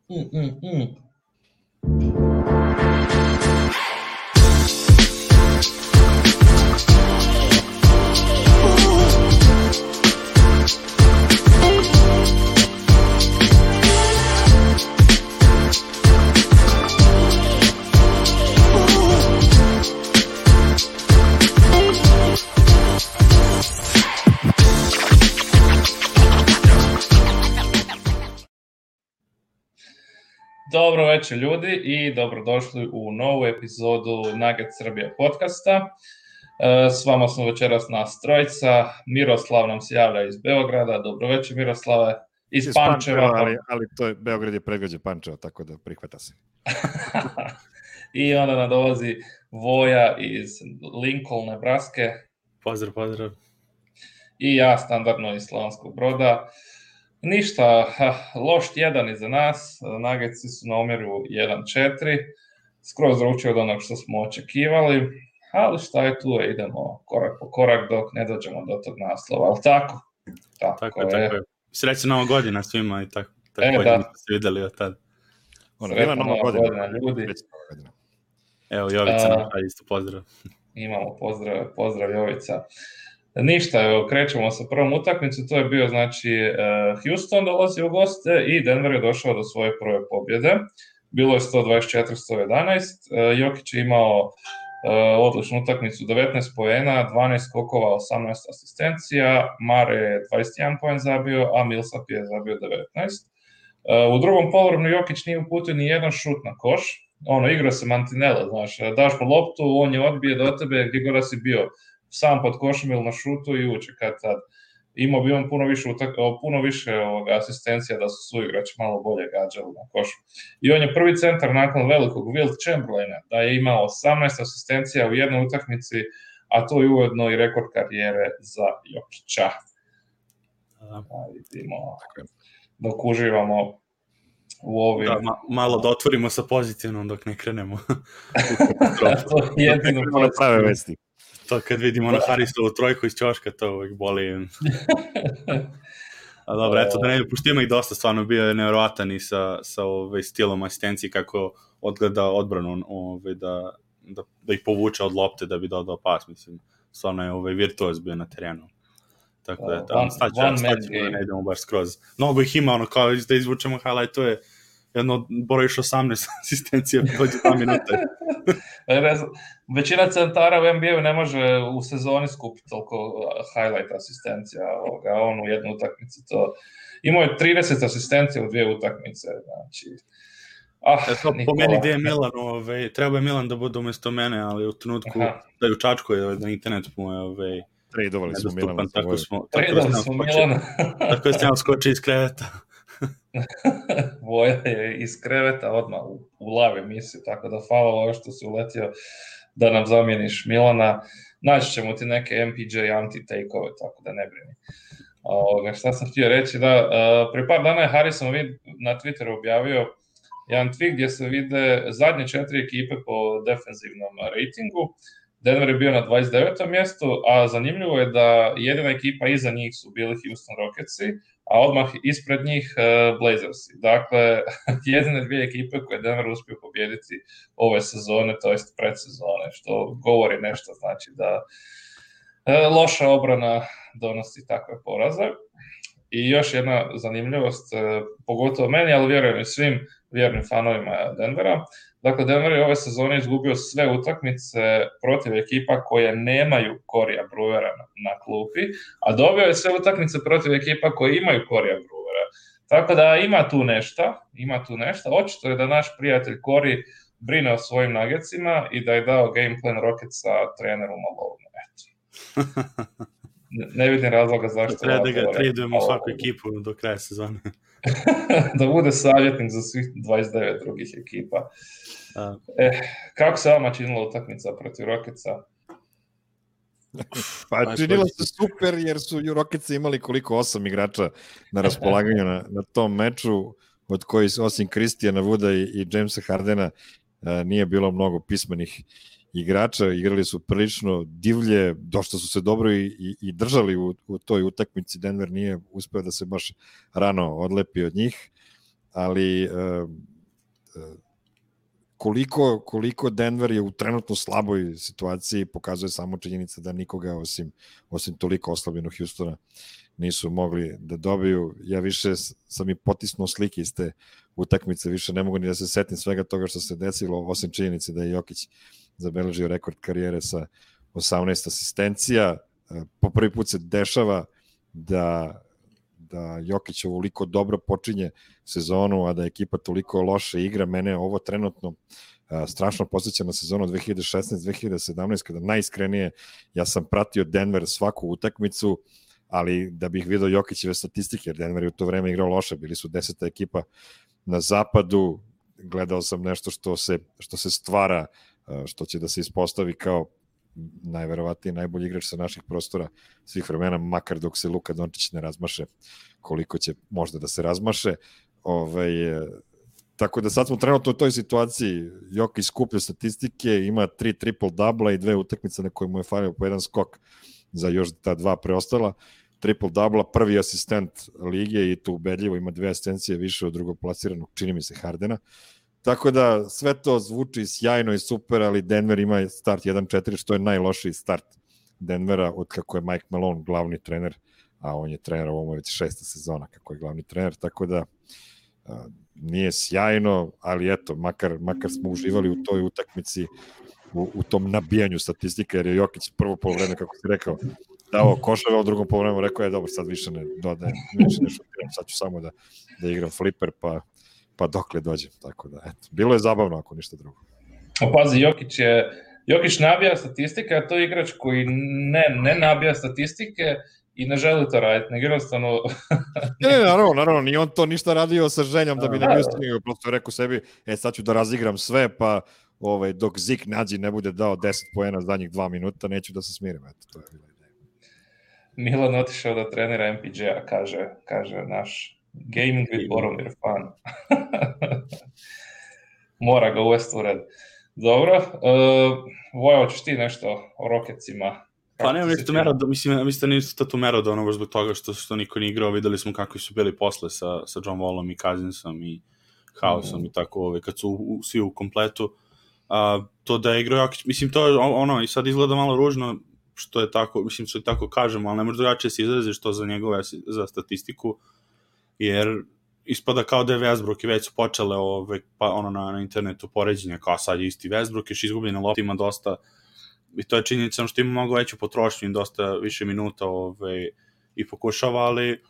Mm, mm, mm. Dobro večer ljudi i dobrodošli u novu epizodu Nugget Srbija podcasta. S vama smo večeras nas trojica. Miroslav nam se javlja iz Beograda. Dobro večer Miroslave. Iz Pančeva. Ali to je, Beograd je predgrađe Pančeva, tako da prihvata se. I onda nam dolazi Voja iz Lincoln, Nebraske. Pozdrav. I ja standardno iz Slavonskog Broda. Ništa, loš tjedan iza nas, Nuggetsi su na omjeru 1-4, skroz drugčije od onog što smo očekivali, ali šta je tu, idemo korak po korak dok ne dođemo do tog naslova, ali tako? Tako je. Srećna Nova godina svima i tako da. Ste vidjeli od tada. Srećna Nova godina ljudi. Evo Jovica nam isto pozdrav. Imamo pozdrav Jovica. Ništa, evo, krećemo sa prvom utakmicu, to je bio, znači, Houston dolazi u goste i Denver je došao do svoje prve pobjede. Bilo je 124-111, Jokić je imao odličnu utakmicu, 19 poena, 12 skokova, 18 asistencija, Mare je 21 poen zabio, a Millsap je zabio 19. U drugom poluvremenu Jokić nije uputio ni jedan šut na koš, igra se mantinela, znaš, daš mu loptu, on je odbije do tebe gdje god si bio, sam pod košem ili na šutu i uče kad tad. Imao bi on puno više asistencija da su suigrači malo bolje gađali na košu. I on je prvi centar nakon velikog Wilt Chamberlaina da je imao 18 asistencija u jednoj utakmici, a to je ujedno i rekord karijere za Jokića. Vidimo dok uživamo u ovim... Malo da otvorimo sa pozitivnom dok ne krenemo. To je jedino prave vesti. To kad vidimo na Harisovu trojku iz ćoška, to uvijek boli. A dobro, eto da ne puštimo ih dosta, stvarno bio je nevjerovatan i sa stilom asistencije kako odgleda odbranu, da ih povuče od lopte da bi dodao pas, mislim. Stvarno je virtuoz bio na terenu. Tako da, staćemo da ne idemo baš skroz. Mnogo ih ima, kao da izvučemo highlight, to je jedno brojiš 18 asistencija, dođe 2 minute. Većina centara u NBA-u ne može u sezoni skupiti toliko highlight asistencija, on u jednu utakmicu to... Imao je 30 asistencija u 2 utakmice, znači... Po meni gdje je Milan, treba je Milan da bude umjesto mene, ali u trenutku da je u Čačku da internet mu je tradovali smo Milana. Tako je snjao skoči iz kreveta. Voja je iz kreveta odmah u live emisiju, tako da hvala ovo što si uletio da nam zamijeniš Milana. Naći ćemo ti neke MPJ anti-take-ove, tako da ne brini. Šta sam htio reći, da prije par dana je Harrison na Twitteru objavio jedan tweet gdje se vide zadnje 4 ekipe po defenzivnom ratingu. Denver je bio na 29. mjestu, a zanimljivo je da jedina ekipa iza njih su bili Houston Rocketsi, a odmah ispred njih Blazersi. Dakle, jedine 2 ekipe koje Denver uspio pobijediti ove sezone, to jest predsezone, što govori nešto, znači da loša obrana donosi takve poraze. I još jedna zanimljivost, pogotovo meni, ali vjerujem i svim vjernim fanovima Denvera. Dakle, Denver je ove sezone izgubio sve utakmice protiv ekipa koje nemaju Corija Brewera na klupi, a dobio je sve utakmice protiv ekipa koje imaju Corija Brewera. Tako da ima tu nešto. Očito je da naš prijatelj Corey brine o svojim Nuggetsima i da je dao game plan Rocketsa treneru Malone. Ne vidim razloga zašto... Treba da ga tradujemo svaku ekipu do kraja sezone. Da bude savjetnik za svih 29 drugih ekipa. Kako se vama činila utakmica protiv Rocketsa? Pa činilo se super jer su Rocketsi imali koliko 8 igrača na raspolaganju na tom meču, od kojih osim Christiana Wooda i Jamesa Hardena nije bilo mnogo pismenih igrača, igrali su prilično divlje, dosta su se dobro i držali u toj utakmici. Denver nije uspeo da se baš rano odlepi od njih, ali koliko Denver je u trenutno slaboj situaciji pokazuje samo činjenica da nikoga osim toliko oslabljenog Houstona nisu mogli da dobiju. Ja više sam i potisnuo slike iz te utakmice, više ne mogu ni da se setim svega toga što se desilo, osim činjenice da je Jokić zabeležio rekord karijere sa 18 asistencija. Po prvi put se dešava da Jokić ovoliko dobro počinje sezonu, a da ekipa toliko loše igra. Mene ovo trenutno strašno podsjeća na sezonu 2016-2017, kada najiskrenije ja sam pratio Denver svaku utakmicu, ali da bih vidio Jokićeve statistike, jer Denver je u to vreme igrao loše, bili su 10. ekipa na zapadu, gledao sam nešto što se stvara, što će da se ispostavi kao najverovatniji najbolji igrač sa naših prostora svih vremena, makar dok se Luka Dončić ne razmaše, koliko će možda da se razmaše. Tako da sad smo trenutno u toj situaciji, Jokić skuplja statistike, ima 3 triple-dubla i 2 utakmice na koje mu je falio po jedan skok za još ta 2 preostala. Triple-dubla, prvi asistent lige i to ubedljivo, ima 2 asistencije više od drugoplasiranog, čini mi se, Hardena. Tako da sve to zvuči sjajno i super, ali Denver ima start 1-4, što je najlošiji start Denvera od kako je Mike Malone glavni trener, a on je trener, ovo je već 6. sezona kako je glavni trener, tako da nije sjajno, ali eto, makar smo uživali u toj utakmici, u tom nabijanju statistika, jer je Jokić prvo polovreme, kako si rekao, dao koševe, a u drugom polovremenu rekao je, dobro, sad više ne dodajem, više ne šutiram, sad ću samo da igram fliper, pa dokle dođem, tako da, eto, bilo je zabavno ako ništa drugo. Pazi, Jokić nabija statistike, a to je igrač koji ne nabija statistike i ne želi to raditi, nego jednostavno... ne, naravno, ni on to ništa radio sa željom da bi ne bio stigao, prosto rekao sebi, sad ću da razigram sve, pa dok Zik Nađi ne bude dao 10 poena zadnjih 2 minuta, neću da se smirim, eto, to je bila ideja. Milan otišao da trenira MPJ-a, kaže naš gaming with Boromir fan. Mora ga uvesti u red. Dobro, Voja, hoćeš ti nešto o Rocketsima? Pa nemam nešto Merodona, mislim da nisu to Merodona baš zbog toga što niko nije igrao, videli smo kako su bili posle sa John Wallom i Cousinsom i Hausom i tako, kad su svi u kompletu. To da je igrao Jokić, mislim to je ono, i sad izgleda malo ružno što je tako, mislim što je tako kažemo, ali ne može drugačije se izraziš to za statistiku, jer ispada kao da je Westbrook i već su počele pa ono na internetu poređenja kao sad je isti Westbrook, još izgubljena lopta, ima dosta, i to je činjenica što ima mnogo veću potrošnju i dosta više minuta i pokušava, ali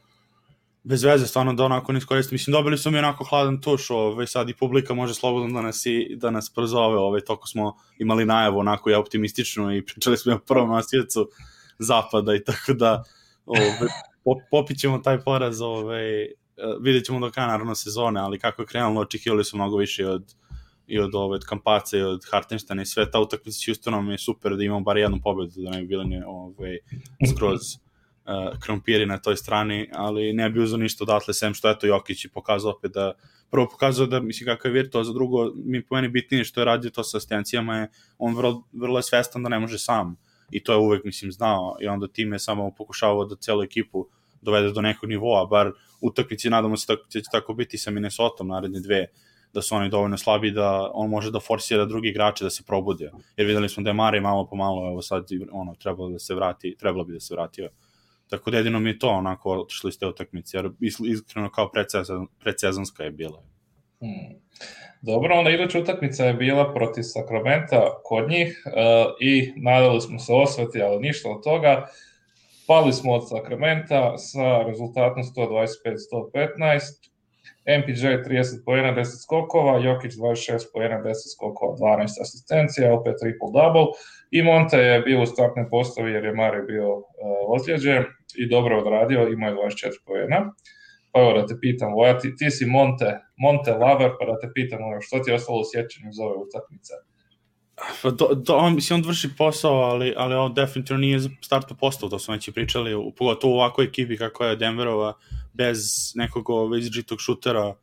bez veze, stvarno da onako ne iskoristi. Mislim, dobili su mi onako hladan tuš, sad i publika može slobodno da nas prozove, toko smo imali najavu onako i optimistično i pričali smo o prvom nasjecu zapada i tako da popit ćemo taj poraz, vidjet ćemo do kraja naravno sezone, ali kako je krenulo, očekivali su mnogo više od Kampaca i od Hartensteina i sve. Ta utakmica s Houstonom je super da imamo bar jednu pobedu, da ne bi bili skroz krompiri na toj strani, ali ne bi uzao ništa odatle, sem što eto Jokić i pokazao opet da, prvo pokazao da, mislim, kakav je virtuoz, za drugo, po meni bitnije što je radio to sa asistencijama je, on vrlo je svestan da ne može sam, i to je uvek, mislim, znao, i onda tim je samo pokušavao da celu ekipu dovede do nekog nivoa, bar utakmici, nadamo se da će tako biti sa Minnesotom naredne 2, da su oni dovoljno slabi da on može da forsira drugi igrače da se probude, jer videli smo da je Mare malo po malo, evo sad trebalo bi da se vratio. Tako da jedino mi je to onako otišli iz te utakmice, jer iskreno kao predsezonska je bila. Dobro, onda iduća utakmica je bila protiv Sakramenta kod njih i nadali smo se osveti, ali ništa od toga. Pali smo od Sakramenta sa rezultatom 125-115. MPJ 30 poena, 10 skokova, Jokić 26 poena, 10 skokova, 12 asistencija, opet triple-double. I Monte je bio u startnoj postavi jer je Mare bio ozlijeđen i dobro odradio, imao je 24 poena. Pa evo da te pitam, Voja, ti si Monte lover, pa da te pitam što ti je ostalo u sjećanju iz ove utakmice? On vrši posao, ali on definitivno nije startno postao, to smo već i pričali, pogotovo u ovakvoj ekipi kako je Denverova, bez nekog izđitog šutera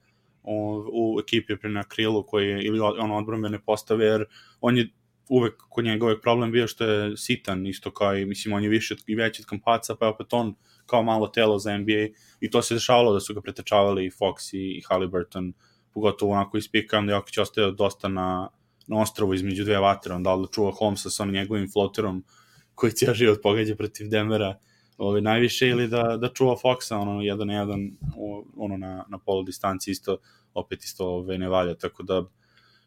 u ekipi na krilu koji je, ili odbrambene postave, jer on je uvek, kod njega uvek problem bio što je sitan, isto kao i, mislim, on je više i veći od Kampaca, pa opet on kao malo telo za NBA i to se dešavalo da su ga pretečavali i Fox i Haliburton, pogotovo onako ispikam da Jokić ostaje dosta na ostrovu između dve vatre, onda da čuva Holmesa sa onim njegovim floterom koji cijel život pogađa protiv Denvera najviše, ili da čuva Foxa 1 na 1 na polu distanci isto ne valja, tako da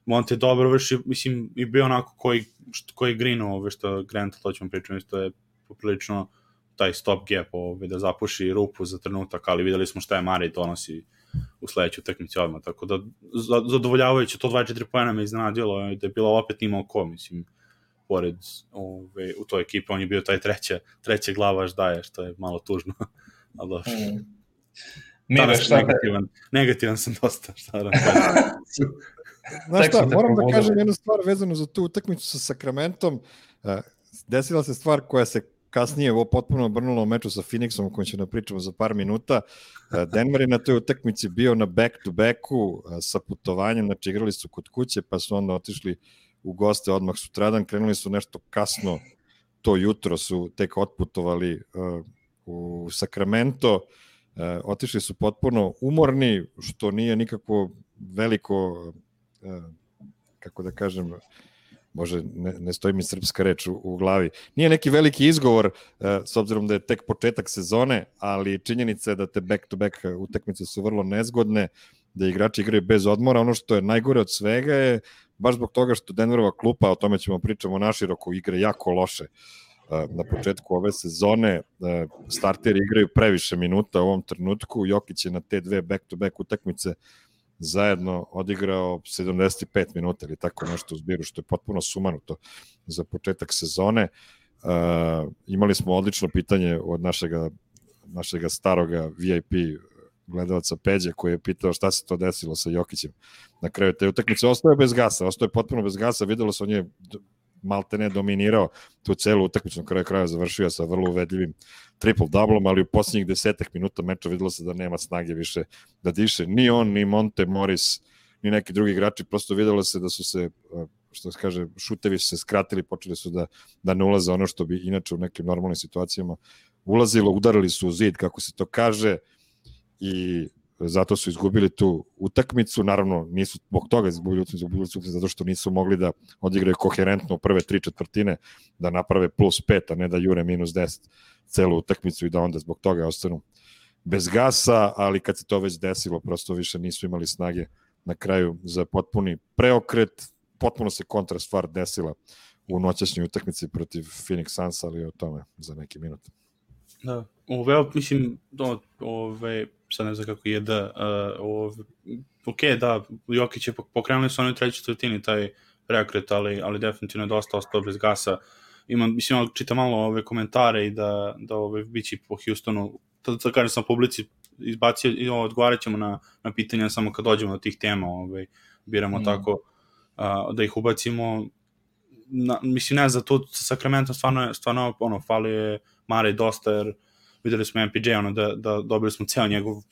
Monte je dobro vrši, mislim, i bio onako koji green, što Grant, to ćemo pričati, isto je poprilično taj stop gap, da zapuši rupu za trenutak, ali videli smo šta je Murray donosi u sledećoj utakmici odmah, tako da zadovoljavajuće, to 24 poena me iznenadilo, da je bilo opet nimao ko, mislim, pored u toj ekipi, on je bio taj treće glavaš daje, što je malo tužno, ali dobro. Negativan sam dosta, šta da Znaš šta, moram da kažem jednu stvar vezanu za tu utakmicu sa Sacramentom. Desila se stvar koja se kasnije potpuno obrnula u meču sa Phoenixom, o kojem ćemo pričamo za par minuta. Denver je na toj utakmici bio na back-to-backu sa putovanjem, znači igrali su kod kuće, pa su onda otišli u goste odmah sutradan, krenuli su nešto kasno, to jutro su tek otputovali u Sacramento, otišli su potpuno umorni, što nije nikako veliko, kako da kažem, može, ne stoji mi srpska reč u glavi. Nije neki veliki izgovor, s obzirom da je tek početak sezone, ali činjenica je da te back-to-back utakmice su vrlo nezgodne, da igrači igraju bez odmora. Ono što je najgore od svega je, baš zbog toga što Denverova klupa, o tome ćemo pričamo naširoko, igre jako loše. Na početku ove sezone starteri igraju previše minuta u ovom trenutku, Jokić je na te dve back-to-back utakmice zajedno odigrao 75 minuta ili tako nešto u zbiru, što je potpuno sumanuto za početak sezone. Imali smo odlično pitanje od našega staroga VIP gledalca Peđe, koji je pitao šta se to desilo sa Jokićem na kraju te utakmice. Ostao je potpuno bez gasa, videlo se, on je maltene dominirao tu celu utakmicu, na kraju kraja završio sa vrlo uvedljivim triple-doublom, ali u posljednjih 10 minuta meča videlo se da nema snage više da diše. Ni on, ni Monte Morris, ni neki drugi igrači, prosto videlo se da su se, što se kaže, šutevi se skratili, počeli su da ne ulaze ono što bi inače u nekim normalnim situacijama ulazilo, udarili su u zid, kako se to kaže, i zato su izgubili tu utakmicu. Naravno, nisu zbog toga izgubili utakmicu, zato što nisu mogli da odigraju koherentno u prve 3/4, da naprave +5, a ne da jure -10 celu utakmicu i da onda zbog toga ostanu bez gasa, ali kad se to već desilo, prosto više nisu imali snage na kraju za potpuni preokret. Potpuno se kontra stvar desila u noćašnjoj utakmici protiv Phoenix Suns, ali o tome za neki minut. Da, mislim, sad ne znam kako je ok, da, Jokić je pokrenuli su oni treći četvrtini taj preokret, ali definitivno je dosta ostao bez gasa. Mislim, čitam malo ove komentare i da bići po Houstonu, da kažem sam publici izbacio i odgovarat ćemo na pitanja samo kad dođemo do tih tema, biramo tako da ih ubacimo. Mislim, ne znam, tu sa Sacramentom stvarno fali je Murray dosta, jer videli smo MPJ, da dobili smo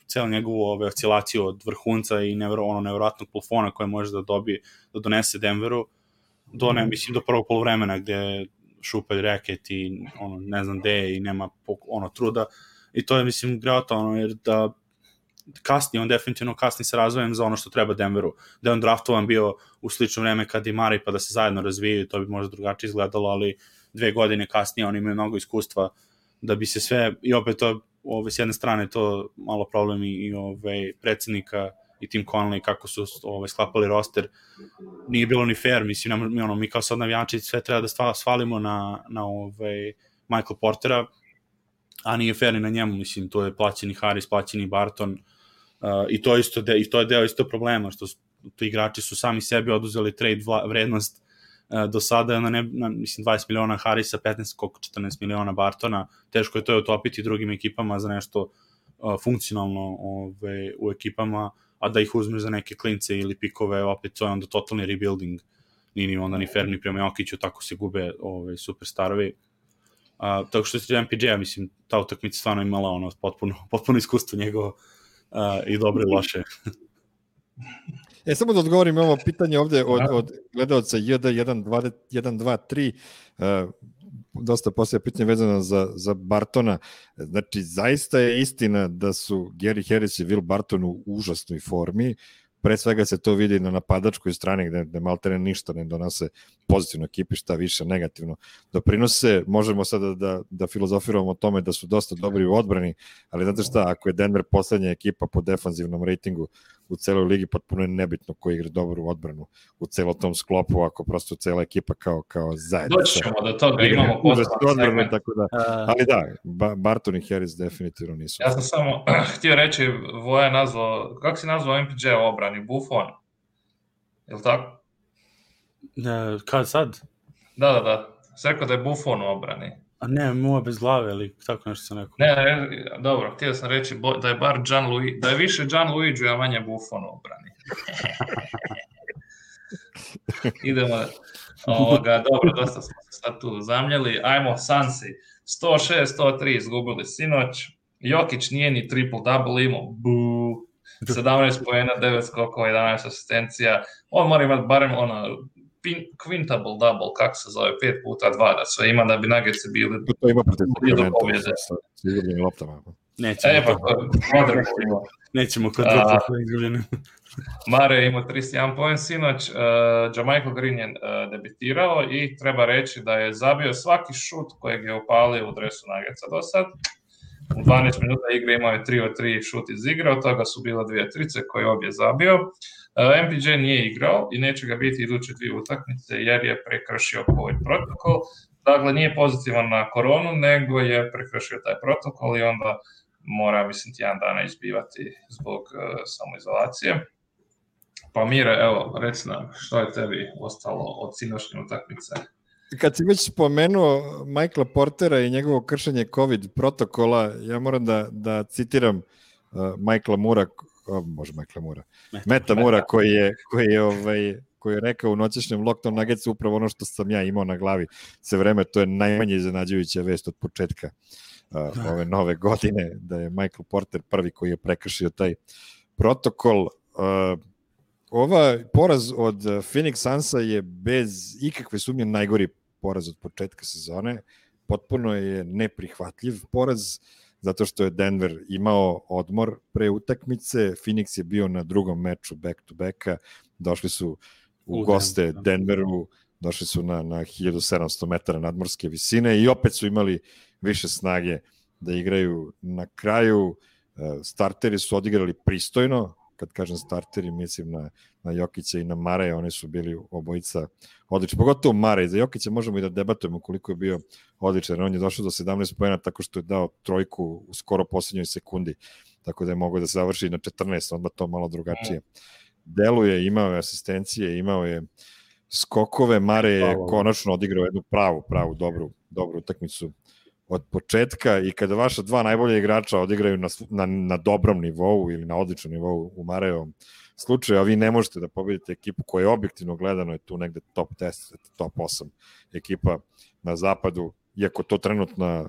celu njegovu oscilaciju od vrhunca i nevjerojatnog plafona koje može da donese Denveru mislim do prvog poluvremena gde šupalj reket i ne znam gde i nema truda, i to je, mislim, greota, jer da on definitivno kasni sa razvojem za ono što treba Denveru, da je on draftovan bio u slično vreme kad i Murray, pa da se zajedno razvijaju, to bi možda drugačije izgledalo, ali 2 godine kasnije oni imaju mnogo iskustva da bi se sve, i opet to s jedne strane to malo problem i predsednika i Tim Connelly kako su sklapali roster, nije bilo ni fair, mislim, mi kao sad navijači sve treba da svalimo na Michael Portera, a nije fair ni na njemu, mislim, to je plaćeni Harris, plaćeni Barton, i to je deo isto problema, što tu igrači su sami sebi oduzeli trade vrednost do sada, mislim, 20 miliona Harrisa, 14 miliona Bartona, teško je to utopiti drugim ekipama za nešto funkcionalno u ekipama, a da ih uzmeš za neke klince ili pikove, opet to je onda totalni rebuilding, nije onda ni fair ni prema Jokiću, tako se gube superstarovi. Tako što se MPJ-a, mislim, ta utakmica stvarno imala potpuno iskustvo njegovo, i dobro i loše. Samo da odgovorim ovo pitanje ovde od gledalca JD1223. dosta poslije pitanje vezano za Bartona. Znači, zaista je istina da su Gary Harris i Will Barton u užasnoj formi. Pre svega se to vidi na napadačkoj strani gde maltene ništa ne donose pozitivno ekipi, šta više negativno doprinose. Možemo sada da filozofiramo o tome da su dosta dobri u odbrani, ali znate šta, ako je Denver poslednja ekipa po defanzivnom rejtingu u celoj ligi, potpuno je nebitno ko igra dobro u odbranu u celom tom sklopu, ako prosto cela ekipa kao zajednica. Doći ćemo do toga, imamo odbranu, tako da, ali da, Barton i Harris definitivno nisu. Ja sam samo htio reći, Voja nazvao, kako si nazvao MPJ u obrani? Buffon? Je li tako? Kad sad? Da. Sve rekao da je Buffon u obrani. A ne, moja bez glave, ali tako nešto sam rekao. Ne, dobro, htio sam reći da je bar da je više Gianluigi, a manje Buffon u obrani. Idemo, dobro, dosta smo se sad tu zamljeli. Ajmo, Sansi, 106-103 izgubili sinoć. Jokić nije ni triple-double imao, 17 poena, 9 skokova, 11 asistencija. On mora imati barem quintable double, kako se zove, 5 puta 2 da sve ima, da bi Nuggetsi bili to ima protiv pobjede. Sa izgubljenim loptama. Nećemo kod dupla izgubljenim. Mare je imao 31 poen sinoć, Jamichael Green je debitirao i treba reći da je zabio svaki šut kojeg je upalio u dresu Nuggetsa do sad. U 12 minuta igre imao je 3 od 3 šut iz igre, od toga su bila 2 trice koje obje zabio. MPJ nije igrao i neće ga biti iduće 2 utakmice jer je prekršio COVID protokol. Dakle, nije pozitivan na koronu, nego je prekršio taj protokol i onda mora, mislim, tjedan dana izbivati zbog samoizolacije. Pa Mire, evo, reci nam, što je tebi ostalo od sinoćnje utakmice? Kad si već spomenuo Michaela Portera i njegovo kršenje COVID protokola, ja moram da citiram Meta Mura koji je rekao u noćešnjem Lockdown Nuggetsu upravo ono što sam ja imao na glavi sve vreme, to je najmanje iznenađujuća vest od početka ove nove godine, da je Michael Porter prvi koji je prekršio taj protokol. Poraz od Phoenix Sunsa je bez ikakve sumnje najgori poraz od početka sezone. Potpuno je neprihvatljiv poraz, zato što je Denver imao odmor pre utakmice, Phoenix je bio na drugom meču back-to-backa, došli su u goste Denveru, došli su na 1700 metara nadmorske visine i opet su imali više snage da igraju na kraju. Starteri su odigrali pristojno, kad kažem starteri, mislim na Jokića i na Mareja, oni su bili obojica odlični. Pogotovo Marej, za Jokića možemo i da debatujemo koliko je bio odličan. On je došao do 17 poena tako što je dao trojku u skoro poslednjoj sekundi, tako da je mogao da se završi na 14, onda to malo drugačije deluje, imao je asistencije, imao je skokove, Marej je konačno odigrao jednu pravu dobru utakmicu od početka i kada vaša dva najbolja igrača odigraju na dobrom nivou ili na odličnom nivou u Marejevom slučaju, a vi ne možete da pobedite ekipu koja je objektivno gledano je tu negde top 10, top 8 ekipa na zapadu, iako to trenutna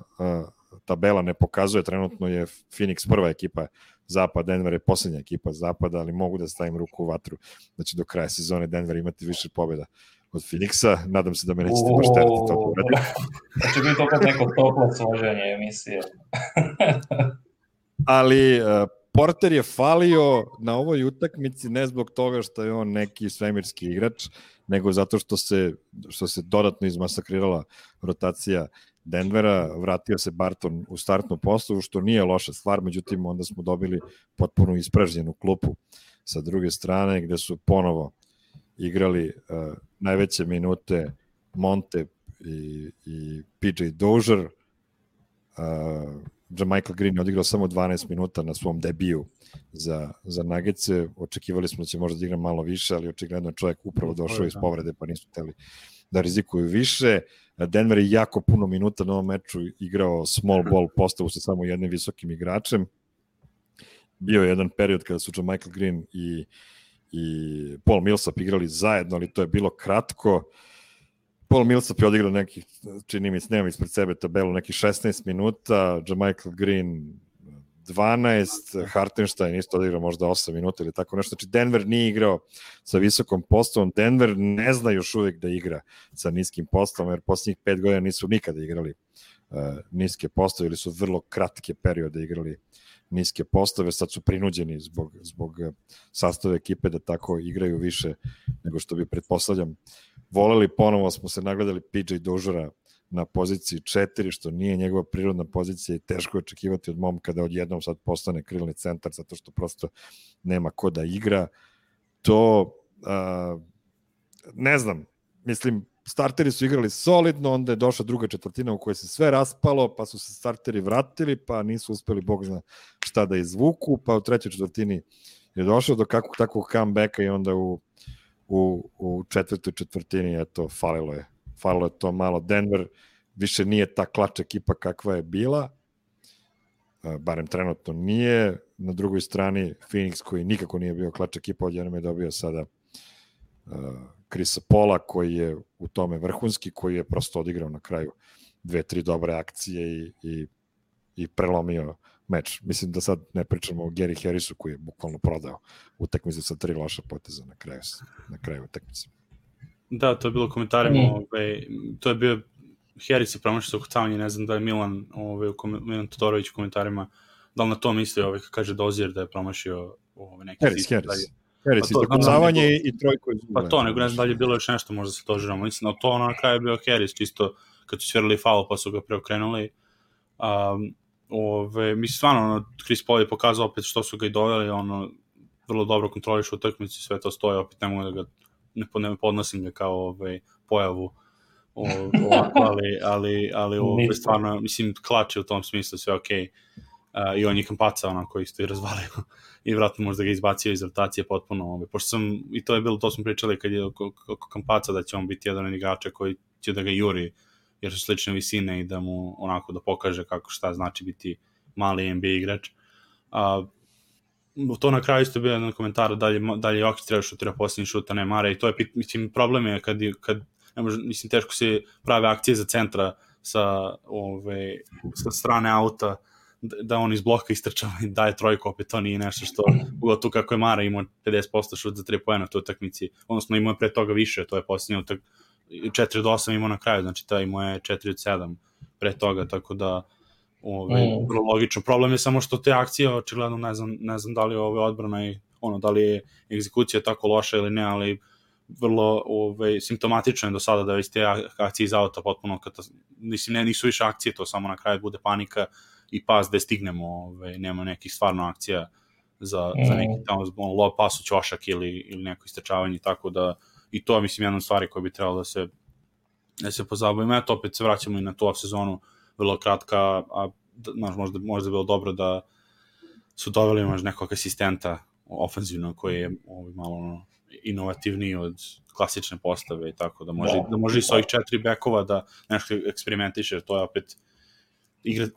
tabela ne pokazuje, trenutno je Phoenix prva ekipa zapad, Denver je poslednja ekipa zapada, ali mogu da stavim ruku u vatru da će do kraja sezone Denver imati više pobjeda od Phoenixa, nadam se da me nećete baš terati to povedati. Znači biti opet neko toplo složenje emisije. Ali Porter je falio na ovoj utakmici ne zbog toga što je on neki svemirski igrač, nego zato što se dodatno izmasakrirala rotacija Denvera, vratio se Barton u startnu postavu, što nije loša stvar, međutim onda smo dobili potpuno ispražnjenu klupu sa druge strane, gde su ponovo igrali najveće minute Monte i PJ Dozier. Jamichael Green je odigrao samo 12 minuta na svom debiju za Nuggetse. Očekivali smo da će možda da igra malo više, ali očigledno je čovjek upravo došao iz povrede, pa nisu hteli da rizikuju više. Denver je jako puno minuta na ovom meču igrao small ball postavu sa samo jednim visokim igračem. Bio je jedan period kada su Jamichael Green i Paul Millsap igrali zajedno, ali to je bilo kratko. Paul Millsap je odigrao nekih, čini mi se, nemam ispred sebe tabelu, nekih 16 minuta, Jamichael Green 12, Hartenstein isto odigrao možda 8 minuta ili tako nešto. Znači, Denver nije igrao sa visokom postavom. Denver ne zna još uvijek da igra sa niskim postavom, jer posljednjih 5 godina nisu nikada igrali niske postave ili su vrlo kratke periode igrali niske postave. Sad su prinuđeni zbog sastave ekipe da tako igraju više nego što bi, pretpostavljam, voleli. Ponovo smo se nagledali PJ Doziera na poziciji 4, što nije njegova prirodna pozicija i teško je očekivati od momka da odjednom sad postane krilni centar, zato što prosto nema ko da igra. To, ne znam, mislim, starteri su igrali solidno, onda je došla druga četvrtina u kojoj se sve raspalo, pa su se starteri vratili, pa nisu uspeli, Bog zna šta da izvuku, pa u trećoj četvrtini je došao do kakvog takvog comebacka i onda u četvrtoj četvrtini, eto, falilo je to malo. Denver više nije ta klač ekipa kakva je bila, barem trenutno nije. Na drugoj strani Phoenix, koji nikako nije bio klač ekipa, odjednom je dobio sada Chrisa Paula, koji je u tome vrhunski, koji je prosto odigrao na kraju 2-3 dobre akcije i prelomio meč. Mislim da sad ne pričamo o Gary Harrisu, koji je bukvalno prodao utakmicu sa 3 loša poteza na kraju utakmice. Da, to je bilo komentarima, to je bio Harris je promašao sa ukucavanje, ne znam da je Milan Todorović u komentarima, da li na to misli, kaže Dozier da je promašio neki Harris, ukucavanje i trojko iz pa to, nego ne znam da li je bilo još nešto, možda se to žiramo, mislim, na to na kraju je bio Harris, čisto kad su svirali faul pa su ga preokrenuli. Mislim, stvarno, Chris Paul je pokazao opet što su ga i doveli, vrlo dobro kontroliš utakmicu, sve to stoje, opet ne mogu da ga ne podnosim ga kao pojavu ali stvarno, mislim, klače u tom smislu, sve okej. I on je Kampaca onako isto i razvalio i vratno možda ga izbacio iz rotacije potpuno, pošto sam, i to je bilo, to smo pričali kad je oko Kampaca da će on biti jedan od igrača koji će da ga juri, jer su slične visine i da mu onako da pokaže kako šta znači biti mali NBA igrač. To na kraju isto bio jedan komentar da li Jokić treba šutira posljednji šuta, ne Mare, i to je, mislim, problem je kad ne može, mislim, teško se prave akcije za centra sa strane auta, da on iz bloka istrčava i daje trojku, opet to nije nešto što, tu kako je Mara imao 50% šut za 3 poena u toj utakmici, odnosno imao je pre toga više, to je posljednje 4 od 8 imao na kraju, znači ta imao je 4 od 7 pre toga, tako da vrlo logično. Problem je samo što te akcije, očigledno ne znam da li je odbrana i da li je egzekucija tako loša ili ne, ali vrlo simptomatično je do sada da već te akcije iz auta potpuno, mislim, nisu više akcije, to samo na kraju bude panika i pas da stignemo, nema nekih stvarno akcija za neki tamo lob pas u ćošak ili neko istrčavanje, tako da i to je, mislim, jedna od stvari koja bi trebalo da se pozabavimo. Eto, opet se vraćamo i na tu sezonu, vrlo kratka, a možda bilo dobro da su doveli možda nekog asistenta ofenzivno koji je malo inovativniji od klasične postave i tako da može i s ovih 4 bekova da nešto eksperimentiše, to je opet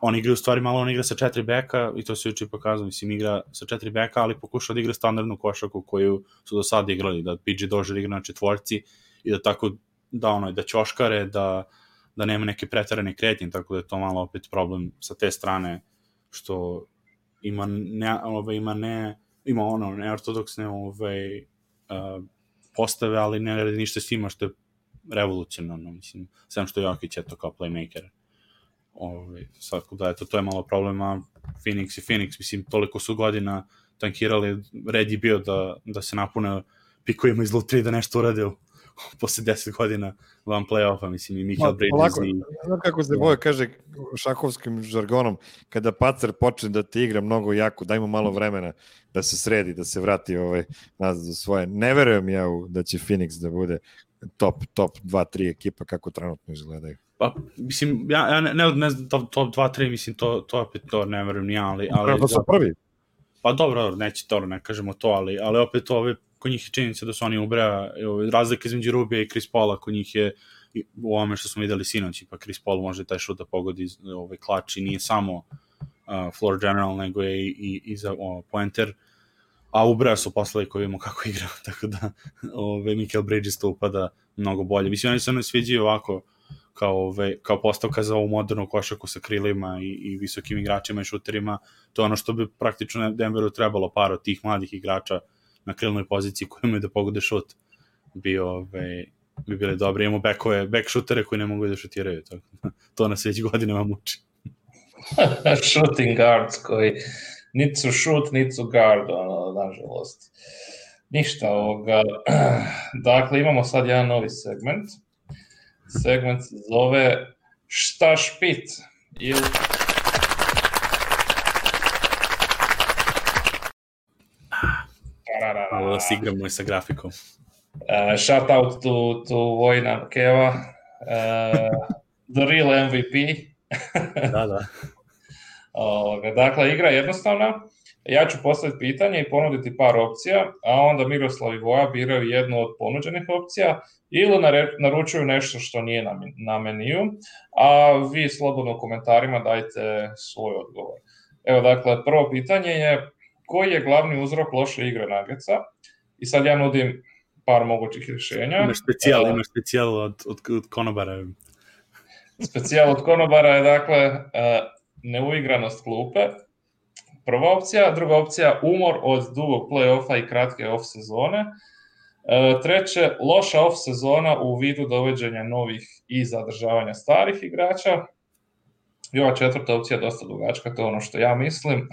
on igra u stvari malo, on igra sa 4 beka i to se juče pokazao, mislim, igra sa 4 beka, ali pokušao da igra standardnu košarku koju su do sada igrali, da PJ Dozier igra na četvorci i da tako da ćoškare, da nema neke preterane kretnje, tako da je to malo opet problem sa te strane, što ima neortodoksne postave, ali ne radi ništa s njima, što je revolucionarno, mislim, sam što Jokić je to kao playmaker. To je malo problema. Phoenix, mislim, toliko su godina tankirali, red je bio da se napune pikovima iz lutri da nešto urade posle 10 godina van play-offa, mislim, i Michael Bridges Znam kako se Boja kaže šahovskim žargonom, kada pacer počne da ti igra mnogo jako, daj mu malo vremena da se sredi, da se vrati nazad do svoje. Ne verujem ja da će Phoenix da bude top 2-3 ekipa kako trenutno izgledaju. Pa, mislim, ja ne znam, top 2-3, mislim, to opet to ne verujem ni ja, ali... To su prvi. Pa dobro, neće to, ne kažemo to, ali opet kod njih je činjenica da su oni ubraja, razlika između Rubija i Chris Paula, kod njih je u ovome što smo videli sinoć, pa Chris Paul može taj šut da pogodi klač i nije samo floor general, nego je i za pointer, a ubraja su poslali koji vidimo kako igra, tako da Michael Bridges to upada mnogo bolje. Mislim, oni se ne sviđaju ovako, kao postavka za ovu modernu košarku sa krilima i visokim igračima i šuterima. To je ono što bi praktično Denveru trebalo, par od tih mladih igrača na krilnoj poziciji koji imaju da pogode šut bi bili dobri. Imamo back šutere koji ne mogu da šutiraju. To nas već godinama muči. Shooting guards koji niti su shoot, niti su guard, nažalost. Ništa ovoga. Dakle, imamo sad jedan novi segment. Segment se zove Šta špit? Ovo da se igramo i sa grafikom. Shout out to Vojna Keva. The real MVP. Da. Dakle, igra je jednostavna. Ja ću postaviti pitanje i ponuditi par opcija, a onda Miroslav i Voja biraju jednu od ponuđenih opcija ili naručuju nešto što nije na meniju, a vi slobodno u komentarima dajte svoj odgovor. Evo, dakle, prvo pitanje je koji je glavni uzrok loše igre Nuggetsa? I sad ja nudim par mogućih rješenja. Imaš specijal od konobara. Specijal od konobara je, dakle, neuigranost klupe. Prva opcija, druga opcija umor od dugog play-offa i kratke off sezone. Treće, loša off sezona u vidu dovođenja novih i zadržavanja starih igrača. I ova četvrta opcija je dosta dugačka, to je ono što ja mislim.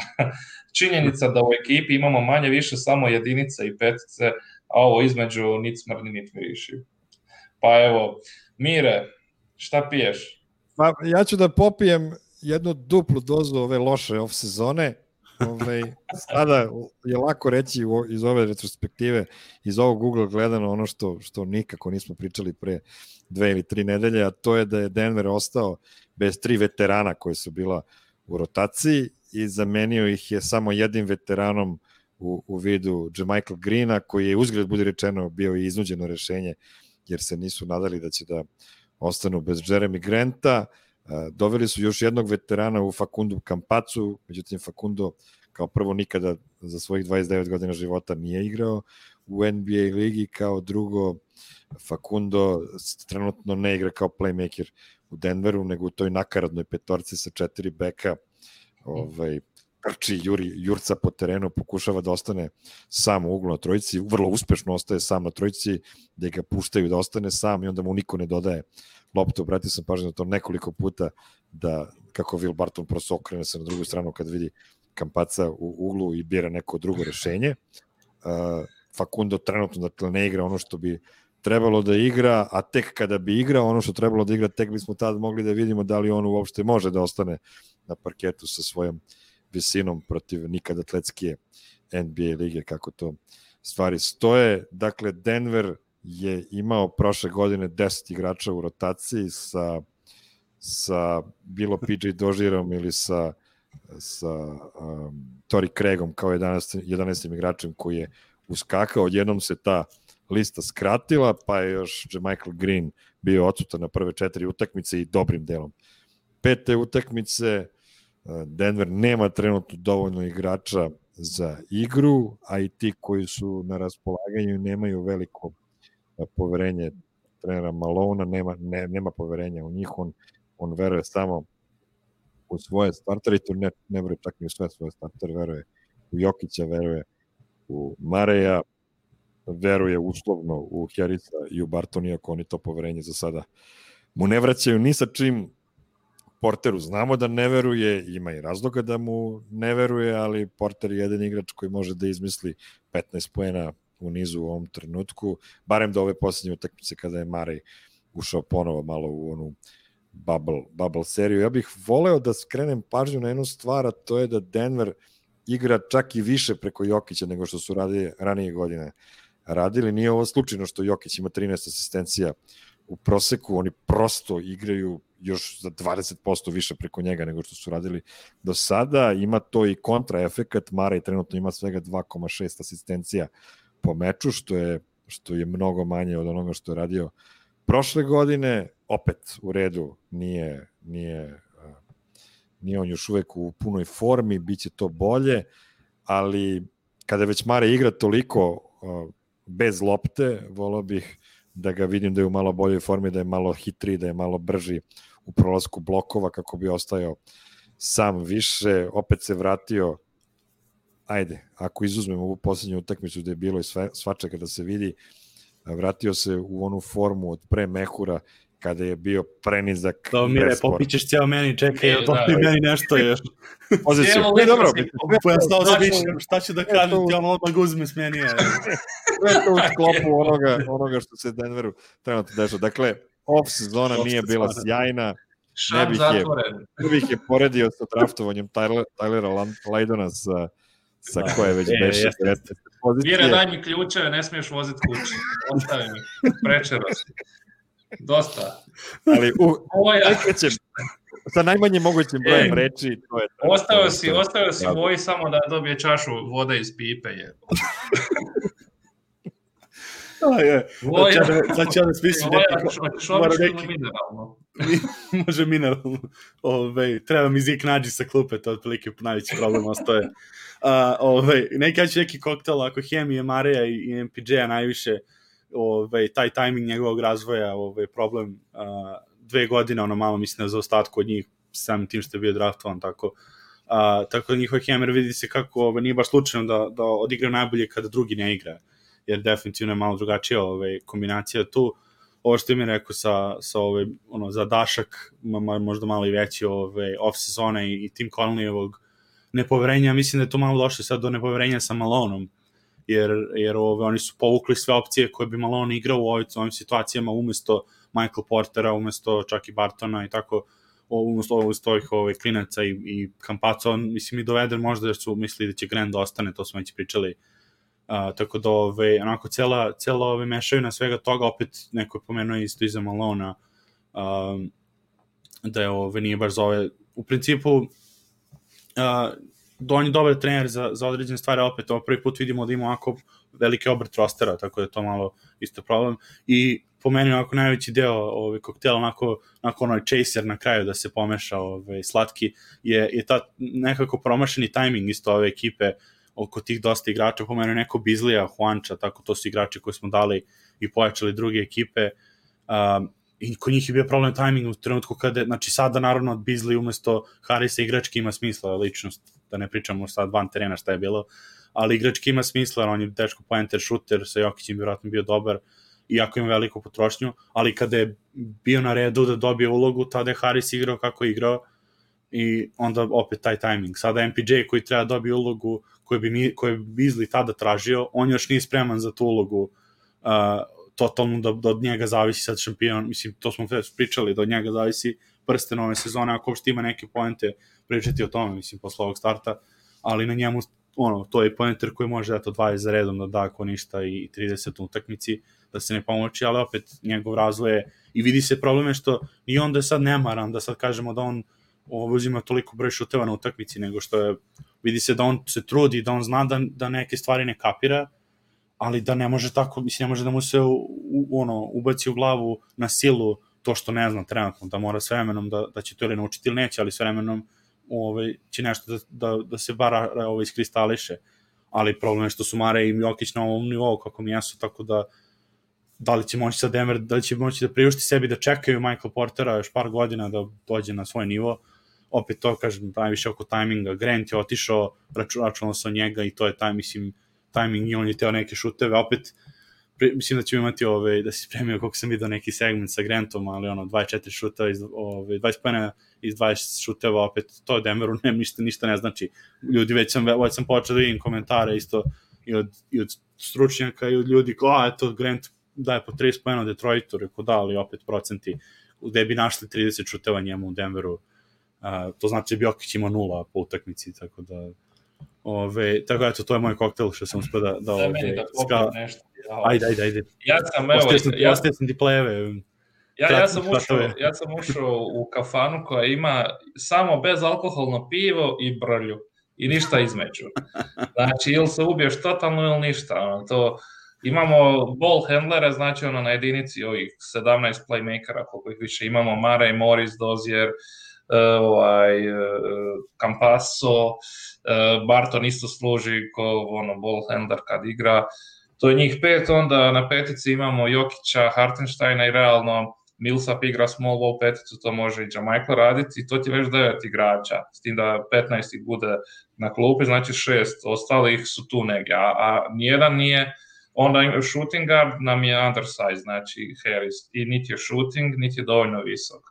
Činjenica da u ekipi imamo manje više samo jedinice i petice, a ovo između nit smrdi, nit miriši. Pa evo, Mire, šta piješ? Pa, ja ću da popijem jednu duplu dozu ove loše off sezone. Sada je lako reći iz ove retrospektive, iz ovog Google gledano ono što nikako nismo pričali pre 2 ili 3 nedelje, a to je da je Denver ostao bez 3 veterana koji su bila u rotaciji i zamenio ih je samo jednim veteranom u vidu JaMychal Greena, koji je uzgled, budi rečeno, bio i iznuđeno rešenje, jer se nisu nadali da će da ostanu bez Jeremy Granta. Doveli su još jednog veterana u Facundo Campazzu, međutim Facundo kao prvo nikada za svojih 29 godina života nije igrao u NBA ligi, kao drugo Facundo trenutno ne igra kao playmaker u Denveru, nego u toj nakaradnoj petorci sa 4 beka, trči, jurca po terenu, pokušava da ostane sam u uglu na trojici, vrlo uspešno ostaje sam na trojici, gde ga puštaju da ostane sam i onda mu niko ne dodaje loptu. Obratio sam pažnju na to nekoliko puta, da kako Will Barton prosto okrene se na drugu stranu kad vidi Campazza u uglu i bira neko drugo rešenje. Facundo trenutno dakle ne igra ono što bi trebalo da igra, a tek kada bi igrao ono što trebalo da igra, tek bismo tad mogli da vidimo da li on uopšte može da ostane na parketu sa svojom visinom protiv nikad atletskije NBA lige, kako to stvari stoje. Dakle, Denver je imao prošle godine 10 igrača u rotaciji sa bilo PJ Dozirom ili sa Torrey Craigom kao 11. igračem koji je uskakao. Odjednom se ta lista skratila, pa je još JaMychal Green bio odsutan na prve 4 utakmice i dobrim delom 5. utakmice. Denver nema trenutno dovoljno igrača za igru, a i ti koji su na raspolaganju nemaju veliko poverenje trenera Malona, nema poverenja u njih, on veruje samo u svoje startere, i to ne veruje čak ni u sve svoje startere, veruje u Jokića, veruje u Mareja, veruje uslovno u Harrisa i u Bartona, iako oni to poverenje za sada mu ne vraćaju ni sa čim. Porteru znamo da ne veruje, ima i razloga da mu ne veruje, ali Porter je jedan igrač koji može da izmisli 15 poena u nizu u ovom trenutku, barem do ove posljednje utakmice kada je Marej ušao ponovo malo u onu bubble seriju. Ja bih voleo da skrenem pažnju na jednu stvar, a to je da Denver igra čak i više preko Jokića nego što su ranije godine radili. Nije ovo slučajno što Jokić ima 13 asistencija u proseku, oni prosto igraju još za 20% više preko njega nego što su radili do sada. Ima to i kontraefekat, Marej trenutno ima svega 2,6 asistencija po meču, što je mnogo manje od onoga što je radio prošle godine. Opet u redu, nije on još uvek u punoj formi, bit će to bolje, ali kada već Marej igra toliko bez lopte, volao bih da ga vidim da je u malo boljoj formi, da je malo hitriji, da je malo brži u prolasku blokova kako bi ostajao sam više, opet se vratio, ajde, ako izuzmemo ovu posljednju utakmicu gde je bilo i svačega da se vidi, vratio se u onu formu od pre mehura, kada je bio prenizak. Da, Mire, popićeš cijelo meni, čekaj, dopri meni nešto još. Poziciju. Ne, dobro. Pojastao sam više, šta ću da kažem, ti on odmah uzme smenija. Sve to u sklopu onoga što se Denveru trenutno dešava. Dakle, off sezona nije bila sjajna. Šam zatvoren. Ne bih je poredio sa draftovanjem Tylera Lydona sa koje već beše. Mire, daj mi ključeve, ne smiješ voziti kući. Ostavi mi. Prečero si. Dosta. Ali sa najmanje mogućim brojem reči, to je... Ostao si Voji samo da dobije čašu vode iz pipe. Sad ću ja da smislim neki... mineralno. Može mineralno. Treba mi Zik nađi sa klupe, to je otprilike najveći problem ostaje. Neki ću neki koktel, ako Hemije, Mareja i MPJ-a najviše, taj tajming njegovog razvoja, problem 2 godine, ono malo mislim za ostatku od njih, samim tim što je bio draftovan, tako da njihov Hemer vidi se kako nije baš slučajno da odigraju najbolje kada drugi ne igra, jer definitivno je malo drugačija kombinacija tu. Ovo što mi rekao sa zadašak, možda malo i veći off sezone i Tim Conleyevog nepoverenja, mislim da je to malo došlo sad do nepoverenja sa Malonom, jer oni su povukli sve opcije koje bi Malone igrao u ovim situacijama umesto Michael Portera, umesto čak i Bartona i tako, umesto ovih klinaca i Campazzo, mislim i doveden možda jer su mislili da će Grant da ostane, to smo već pričali, tako da onako cijela mešavina svega toga, opet neko je pomenuo isto iza Malona, da je nije baš za ove, u principu on je dobar trener za određene stvari, opet prvi put vidimo da ima ovako veliki obrt rostera, tako da je to malo isto problem. I po meni ovako najveći deo koktela, onako onaj chaser na kraju da se pomeša slatki, je ta nekako promašeni tajming isto ove ekipe oko tih dosta igrača, po meni neko Bizlija, Juanča, tako to su igrači koji smo dali i pojačali druge ekipe. I kod njih je bio problem timing u trenutku kada, znači sada naravno od Beasley umesto Harrisa igrački ima smisla, ličnost, da ne pričamo sad van terena šta je bilo, ali igrački ima smisla, on je teško pointer, shooter, sa Jokićem vjerojatno bio dobar, iako ima veliku potrošnju, ali kada je bio na redu da dobije ulogu, tada je Harris igrao kako je igrao i onda opet taj timing. Sada MPJ koji treba dobije ulogu koju je Beasley tada tražio, on još nije spreman za tu ulogu, totalno da od njega zavisi sad šampion, mislim, to smo pričali, da od njega zavisi prsten ove sezone, ako uopšte ima neke poente pričati o tome, mislim, posle ovog starta, ali na njemu, to je poenter koji može 20 za redom da da ako ništa i 30 u utakmici, da se ne pomoći, ali opet njegov razvoj je, i vidi se probleme što i onda je sad nemaran, da sad kažemo da on uzima toliko broj šuteva na utakmici, nego što je, vidi se da on se trudi, da on zna da neke stvari ne kapira, ali da ne može tako, mislim, ne može da mu se ubaci u glavu na silu to što ne zna trenutno, da mora s vremenom da će to ili naučiti ili neće, ali s vremenom će nešto da se bar iskristališe. Ali problem je što su Mare i Jokić na ovom nivou kako mi jesu, tako da li će moći sa Denver, da li će moći da priušti sebi da čekaju Michael Portera još par godina da dođe na svoj nivo. Opet to, kažem, najviše oko tajminga. Grant je otišao, računalo se o njega i to je timing i on je teo neke šuteve, opet mislim da ćemo imati da se spremio koliko sam vidio neki segment sa Grantom, ali 24 šuteva, 20 pojena iz 20 šuteva, opet to Denveru ništa ne znači. Ljudi, već sam počeo da vidim komentare isto i od stručnjaka i od ljudi, eto Grant daje po 30 pojena u Detroitu, rekao da, ali opet procenti, gde bi našli 30 šuteva njemu u Denveru, to znači da bi Jokić imao 0 po utakmici, tako da tako eto, to je moj koktel što sam uspio da nešto. Ajde. Ja sam ti plejeve. Ja sam ušao u kafanu koja ima samo bezalkoholno pivo i brlju i ništa između. Znači, ili se ubiješ totalno ili ništa. Imamo ball handlere, znači na jedinici ovih 17 playmakera, koliko ih više imamo, Murray, Morris, Dozier, Campazzo, Barton isto služi ko ball handler kad igra, To je njih 5, onda na petici imamo Jokića, Hartensteina i realno Millsap igra small ball peticu, to može i Jamaica raditi i to ti već 9 igrača, s tim da 15 bude na klupi, znači 6 ostalih su tu negdje, a nijedan nije, onda shooting guard nam je undersize, znači Harris, i niti je shooting, niti je dovoljno visok.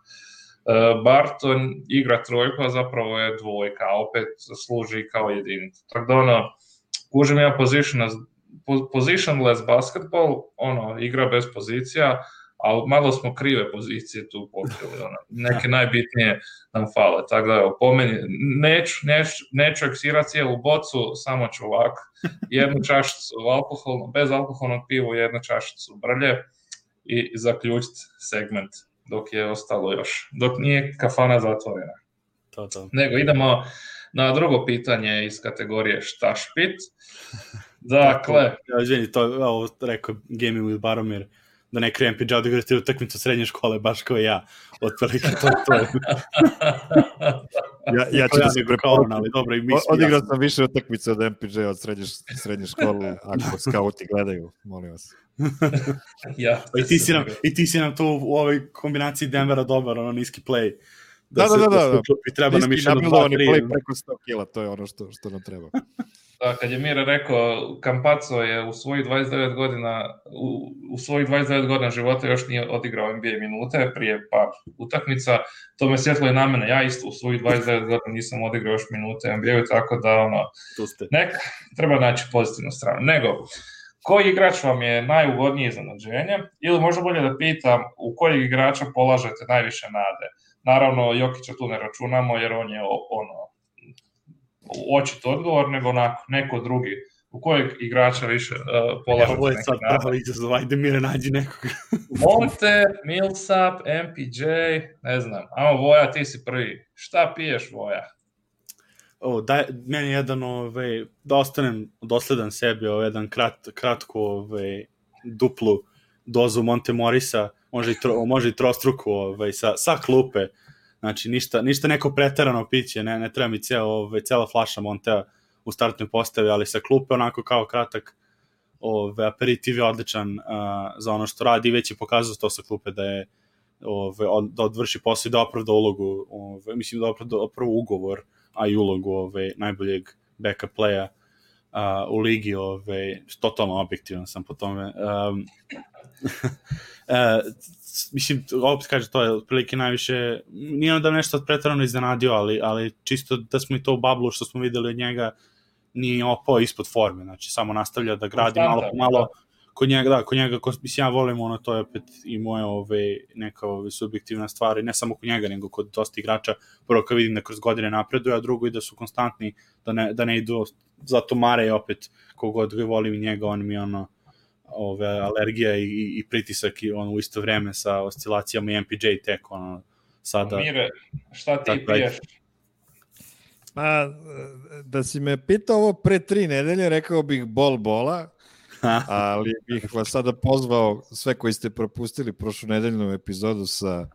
Barton igra trojku, a zapravo je dvojka, a opet služi kao jedinica. Tako da ono, kužim ja positionless basketball, ono, igra bez pozicija, ali malo smo krive pozicije tu pokrili, ono, neke najbitnije nam fale, tako da evo, po meni, neću eksirati cijelu bocu, samo ću ovako, jednu čašicu bez alkoholnog pivu, jednu čašicu brlje i zaključiti segment dok je ostalo još, dok nije kafana zatvorena. To. Nego idemo na drugo pitanje iz kategorije šta špit. Dakle... Ja, izvini, to rekao Gaming with Baromir, da ne krenem PJ odigrati utakmicu srednje škole, baš kao ja. Otprilike to je. Ja ću da se preporučim. Ali dobro, odigrao sam više utakmice od MPJ od srednje škole, ako skauti gledaju, molim vas. I ti si nam tu u ovoj kombinaciji Denvera dobar, ono niski play. Da. Treba nam niski nabildovani play preko 100 kila, to je ono što nam treba. Da, kad je Mire rekao, Campazzo je u svojih 29 godina života još nije odigrao NBA minute prije par utakmica, to me sjetilo i na mene, ja isto u svojih 29 godina nisam odigrao još minute NBA-u, tako da ono, treba naći pozitivnu stranu. Nego, koji igrač vam je najugodnije iznenađenje, ili možda bolje da pitam u kojeg igrača polažete najviše nade? Naravno, Jokića tu ne računamo jer on je očit odgovor, nego neko drugi. U kojeg igrača više polažete ovo je sad pravo izazov, ajde Mire, nađi nekog. Monte, Millsap, MPJ, ne znam. Amo Voja, ti si prvi. Šta piješ, Voja? Meni jedan, da ostanem dosledan sebi, jedan kratko duplu dozu Monte Morisa, može i trostruku sa klupe. Znači, ništa neko preterano piće, ne treba mi cela flaša Montea u startnoj postavi, ali sa klupe onako kao kratak aperitiv je odličan za ono što radi, već je pokazao to sa klupe da je da odvrši posao i da opravda ulogu, mislim da opravda prvo ugovor, a i ulogu najboljeg backup playa u ligi, totalno objektivan sam po tome. Mislim, opet kaže, to je otprilike najviše, nije da nešto pretarano iznenadio, ali čisto da smo i to u bablu što smo videli od njega, nije opao ispod forme, znači samo nastavlja da gradi malo po malo, kod njega, mislim, ja volim ono, to je opet i moje neka subjektivna stvar, i ne samo kod njega, nego kod dosta igrača, prvo kad vidim da kroz godine napreduje, a drugo i da su konstantni, da ne idu, zato Mare je opet, kogod ga volim i njega, on mi ono, alergija i pritisak i ono u isto vreme sa oscilacijama i MPJ tek ono sada. Mire, šta ti piješ? Da si me pitao ovo pre 3 nedelje, rekao bih bola, ali bih vas sada pozvao sve koji ste propustili prošlu nedeljnu epizodu sa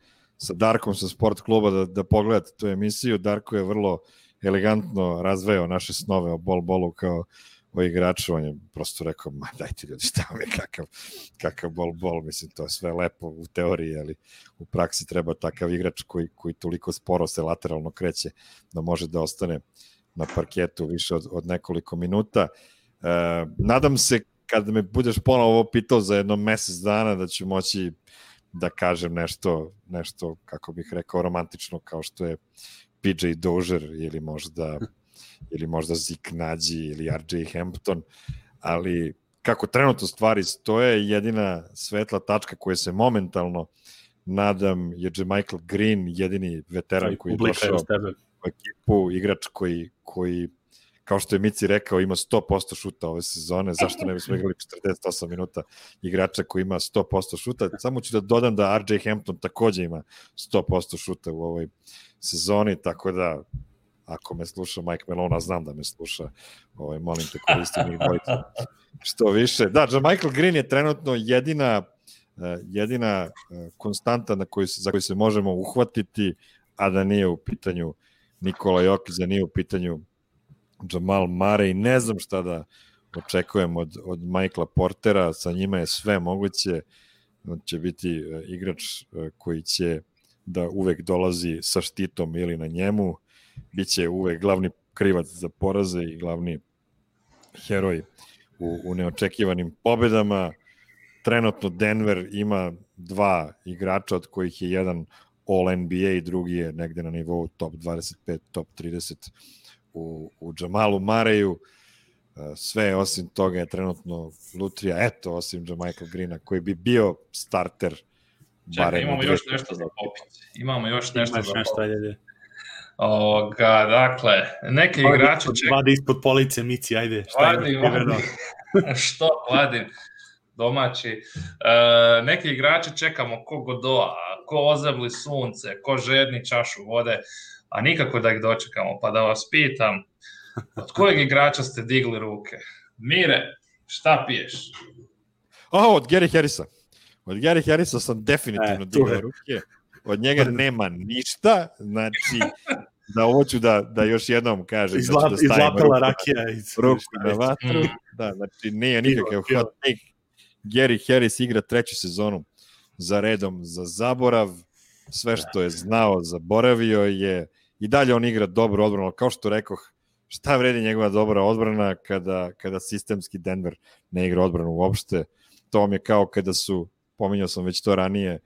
Darkom sa Sport kluba da pogledate tu emisiju. Darko je vrlo elegantno razveo naše snove o bolu kao o igraču, on je prosto rekao, dajte ljudi, šta vam je kakav bol, mislim, to je sve lepo u teoriji, ali u praksi treba takav igrač koji toliko sporo se lateralno kreće da može da ostane na parketu više od nekoliko minuta. Nadam se, kada me budeš ponovo ovo pitao za jedno mesec dana, da ću moći da kažem nešto, kako bih rekao, romantično, kao što je PJ Dozier ili možda Zik Nađi ili RJ Hampton, ali kako trenutno stvari stoje, jedina svetla tačka koja se momentalno nadam je Michael Green, jedini veteran koji je došao u ekipu, igrač koji kao što je Mici rekao, ima 100% šuta ove sezone, zašto ne bismo igrali 48 minuta igrača koji ima 100% šuta, samo ću da dodam da RJ Hampton takođe ima 100% šuta u ovoj sezoni, tako da ako me sluša Mike Malone, znam da me sluša, molim te, koristim ih dvojica što više. Da, Michael Green je trenutno jedina konstanta za koju se možemo uhvatiti, a da nije u pitanju Nikola Jokić, da nije u pitanju Jamal Murray. Ne znam šta da očekujem od Michaela Portera, sa njima je sve moguće, on će biti igrač koji će da uvek dolazi sa štitom ili na njemu, biće uvek glavni krivac za poraze i glavni heroj u neočekivanim pobedama. Trenutno Denver ima 2 igrača, od kojih je jedan All-NBA, drugi je negde na nivou top 25, top 30 u Jamalu Mareju. Sve osim toga je trenutno lutrija, eto, osim Michael Greena, koji bi bio starter. Čekaj, imamo još nešto za popiti. Imamo još nešto za popiti. Dakle, neki igrači čekaju... Vadi ispod police, Mici, ajde. Što vadim? Domaći. Neki igrači čekamo ko Godoa, ko ozebli sunce, ko žedni čašu vode, a nikako da ih dočekamo. Pa da vas pitam, od kojeg igrača ste digli ruke? Mire, šta piješ? Od Gary Harrisa. Od Gary Harrisa sam definitivno digao ruke. Od njega nema ništa, znači da hoću da još jednom kažem. Izlapela rakija. Ruku na vatru. Da, znači nije nikakav hot take. Gary Harris igra 3. sezonu za redom za zaborav. Sve što je znao, zaboravio je. I dalje on igra dobro odbranu, kao što rekoh, šta vredi njegova dobra odbrana kada sistemski Denver ne igra odbranu uopšte. To vam je kao kada su, pominjao sam već to ranije,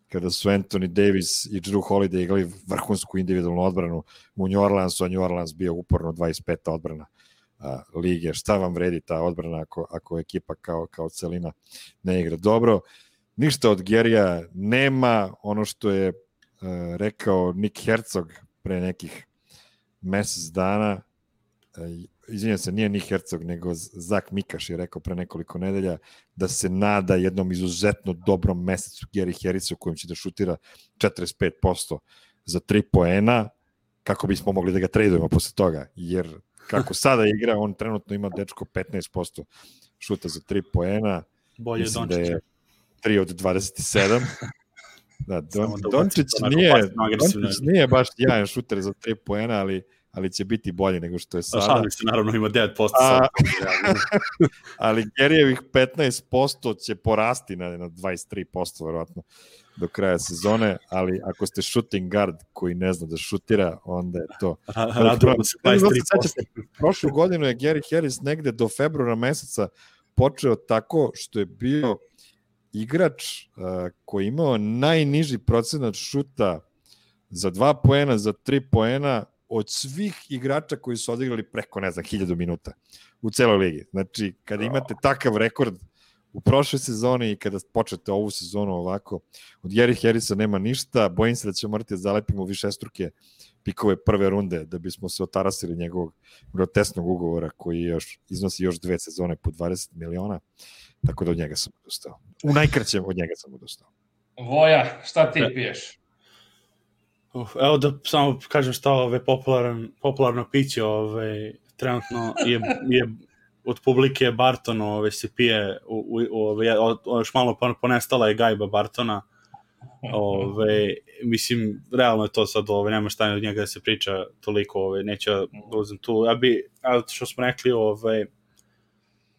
kada su Anthony Davis i Jrue Holiday igrali vrhunsku individualnu odbranu u New Orleansu, a New Orleans bio uporno 25. odbrana lige. Šta vam vredi ta odbrana ako ekipa kao celina ne igra dobro? Ništa od Gerija nema. Ono što je rekao Nick Herzog pre nekih mesec dana, izvinjam se, nije Nick Herzog, nego Zach Mikaš je rekao pre nekoliko nedelja da se nada jednom izuzetno dobrom mesecu Gary Harrisu kojim će da šutira 45% za 3 poena, kako bismo mogli da ga tradujemo posle toga, jer kako sada igra, on trenutno ima dečko 15% šuta za 3 poena. Bolje Dončića. Da je 3 od 27. Da, Dončić nije baš jajan šuter za 3 poena, ali će biti bolji nego što je sada. Šalim se, naravno ima 9%. Ali Gerijevih 15% će porasti na 23%, verovatno, do kraja sezone, ali ako ste shooting guard koji ne zna da šutira, onda je to... Radujemo se 23%. Prošlu godinu je Gary Harris negde do februara meseca počeo tako što je bio igrač koji imao najniži procenat šuta za 2 poena, za 3 poena od svih igrača koji su odigrali preko, 1000 minuta u celoj ligi. Znači, kada imate takav rekord u prošloj sezoni i kada počnete ovu sezonu ovako, od Gary Harrisa nema ništa, bojim se da ćemo morati da zalepimo višestruke pikove prve runde da bismo se otarasili njegovog grotesnog ugovora koji iznosi još 2 sezone po 20 miliona, tako da od njega sam odustao. U najkraćem od njega sam odustao. Voja, šta ti piješ? Evo da samo kažem šta popularno piće trenutno je od publike Barton se pije još malo ponestala je gajba Bartona. Mislim, realno je to sad, nema šta od njega da se priča toliko, neću da uzem tu. Što smo rekli,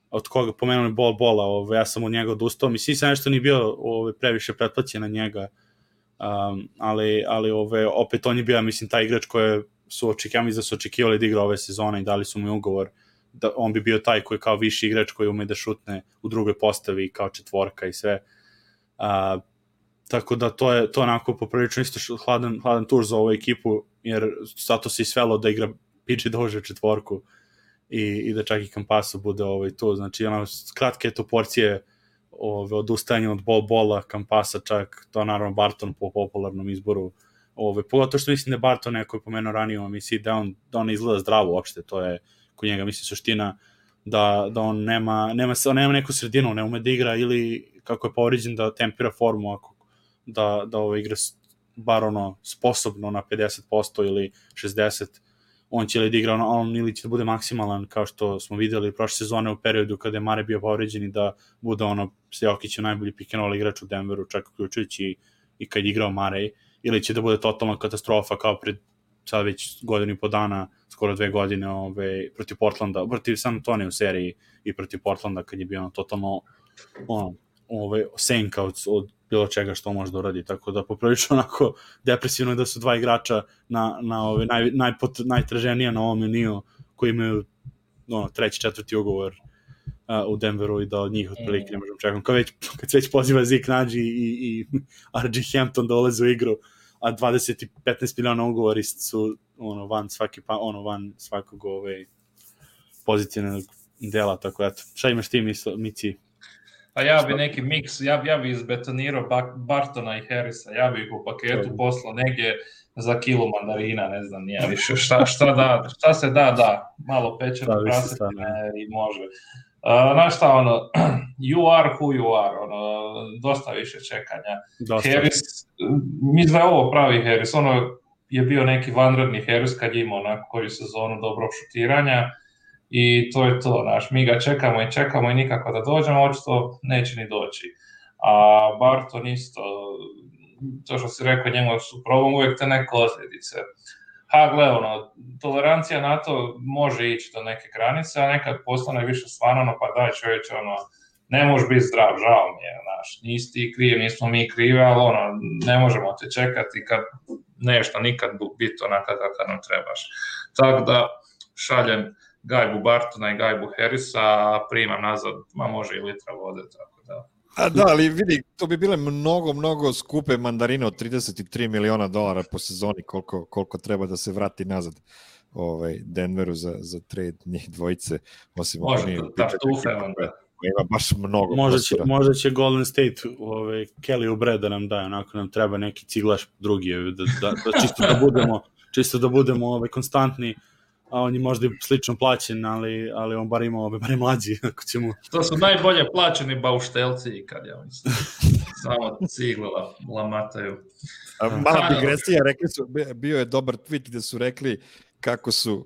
od koga pomenuli Bola, ja sam od njega odustao. Mislim, sam nešto nije bio previše pretplaćen na njega, ali opet on je bio, mislim, taj igrač koje su očekivali da igra ove sezone i dali su mu ugovor da on bi bio taj koji je kao viši igrač koji ume da šutne u drugoj postavi kao četvorka i sve. Tako da to je onako poprilično isto hladan tur za ovu ekipu, jer zato se i svelo da igra PJ Dozier četvorku i da čak i Campasa bude tu. Znači, kratke to porcije odustajanje od Bola, Campasa čak, to naravno Barton po popularnom izboru. Pogotovo što mislim da Barton neko je pomenuo ranije u emisiji da on izgleda zdravo uopšte, to je kod njega mislim suština da on nema neku sredinu, ne ume da igra ili kako je povređen da tempira formu, da igra bar sposobno na 50% ili 60%, on će li da igra on ili će da bude maksimalan kao što smo videli prošle sezone u periodu kada je Mare bio povređen i da bude s Jokićem najbolji pick and roll igrač u Denveru, čak uključujući i kad je igrao Mare, ili će da bude totalna katastrofa kao pred sad već godinu i po dana, skoro 2 godine protiv Portlanda, protiv San Antonio u seriji i protiv Portlanda kad je bio totalno senka od bilo čega što može da uradi, tako da poprilično onako depresivno je da su 2 igrača na najtraženija na ovom meniju koji imaju 3. 4. ugovor u Denveru i da od njih otprilike ne možemo čekati. Kad se već poziva Zeke Naji i R.J. Hampton da ulaze u igru, a 20 i 15 miliona ugovori su van svakog pozitivnog dela, tako eto. Šta imaš ti Mici? A ja bi neki miks, ja bi izbetonirao Bartona i Harrisa, ja bi ih u paketu poslao negdje za kilu mandarina, ne znam, nije više, šta se da, malo pečeno prasetine i može. Znaš šta, you are who you are, dosta više čekanja. Harris, mislim da je ovo pravi Harris, je bio neki vanredni Harris kad je imao onako koju sezonu dobrog šutiranja i to je to, mi ga čekamo i nikako da dođemo, očito neće ni doći. A Barton isto, to što si rekao, njemu su problem uvijek te neke osljedice. Gle, tolerancija na to može ići do neke granice, a nekad postane više stvarno, pa daj čovječe, ne možeš biti zdrav, žao mi je, nisi ti kriv, nismo mi krive, ali ne možemo te čekati kad nešto nikad biti onaka kako nam trebaš. Tako da šaljem gajbu Bartona i gajbu Harrisa, a primam nazad, može i litra vode, tako da. Da, ali vidi, to bi bile mnogo skupe mandarine od $33 miliona po sezoni, koliko treba da se vrati nazad Denveru za trade njih dvojice. Može, tartufe onda. Ima baš mnogo. Možda će Golden State Kelly Oubre da nam daje, onako nam treba neki ciglaš drugi, da čisto da budemo konstantni, a on je možda slično plaćen, ali on bar ima bar mlađi. To su najbolje plaćeni bauštelci kad ja mislim. Samo cigle lamataju. Mala digresija, rekli su, bio je dobar tweet gde su rekli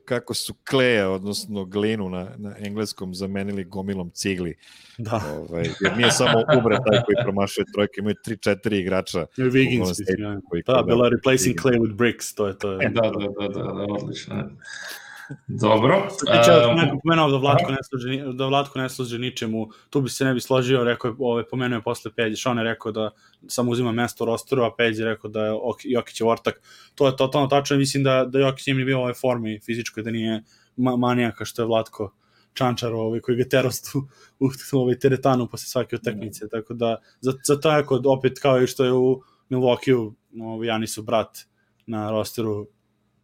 kako su kleja, odnosno glinu na engleskom zamenili gomilom cigli. Da. Jer nije samo Oubre taj koji promašuje trojke, imaju 3-4 igrača. Da, bila replacing clay with bricks, to je. Da, odlično. Dobro. Neko pomenuo da Vlatko ne služi ničemu, tu bi se ne bi složio, rekao je, pomenuo je posle Peđe, Sean je rekao da samo uzima mesto u rosteru, a Peđe je rekao da je Jokić je ortak. To je totalno tačno, mislim da Jokić nije bio u ovoj formi fizičkoj, da nije manijaka što je Vlatko Čančar koji ga terostu u teretanu posle svake utakmice, tako da za tako opet kao i što je u Milwaukee Janisov brat na rosteru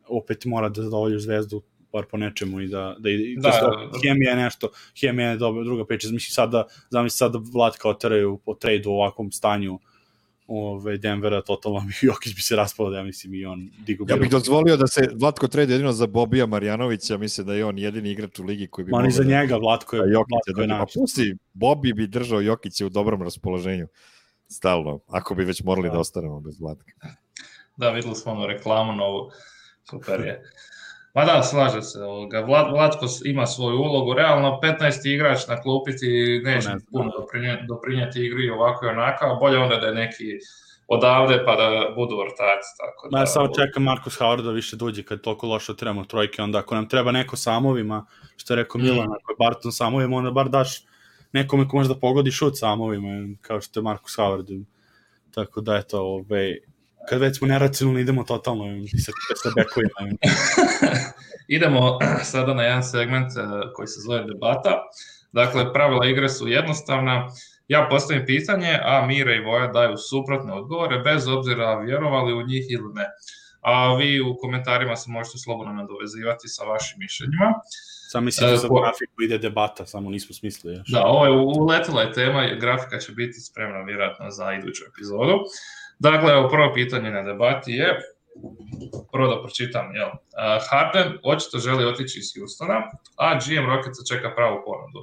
opet mora da zadovolji Zvezdu bar po nečemu i da hemija je nešto, hemija je druga priča. Zamisli sad da Vlatka oteraju po trejdu u ovakvom stanju Denvera, totalno Jokić bi se raspao, ja mislim, i on digu. Ja bih dozvolio da se Vlatko trade jedino za Bobija Marjanovića, mislim da je on jedini igrač u ligi koji bi mogao. Za njega Vlatko je naš. Pusti, Bobi bi držao Jokića u dobrom raspoloženju stalno, ako bi već morali da ostanemo bez Vlatka. Da, videli smo reklamu novu, super je. Pa da, slaže se. Vlatko ima svoju ulogu. Realno, 15. igrač na klupi ti neće puno doprinijeti igri ovako i onaka, a bolje onda da je neki odavde pa da budu vrtaci. Ja samo čekam Marcus Howard da više dođe kad toliko loše otiramo trojke, onda ako nam treba neko samovima, što je rekao Milan, ako je Barton samovima, onda bar daš nekome ko može da pogodi šut samovima, kao što je Marcus Howard. Tako da je to kad već smo neracionalni, idemo totalno sa bekovima. Idemo sada na jedan segment koji se zove debata. Dakle, pravila igre su jednostavna. Ja postavim pitanje, a Mire i Voja daju suprotne odgovore, bez obzira vjerovali u njih ili ne. A vi u komentarima se možete slobodno nadovezivati sa vašim mišljenjima. Sam mislim da za grafiku ide debata, samo nismo smislili još. Da, ovo je uletila je tema, grafika će biti spremna vjerojatno za iduću epizodu. Dakle, prvo pitanje na debati je, prvo da pročitam, Harden očito želi otići iz Houstona, a GM Rocketsa čeka pravu ponudu.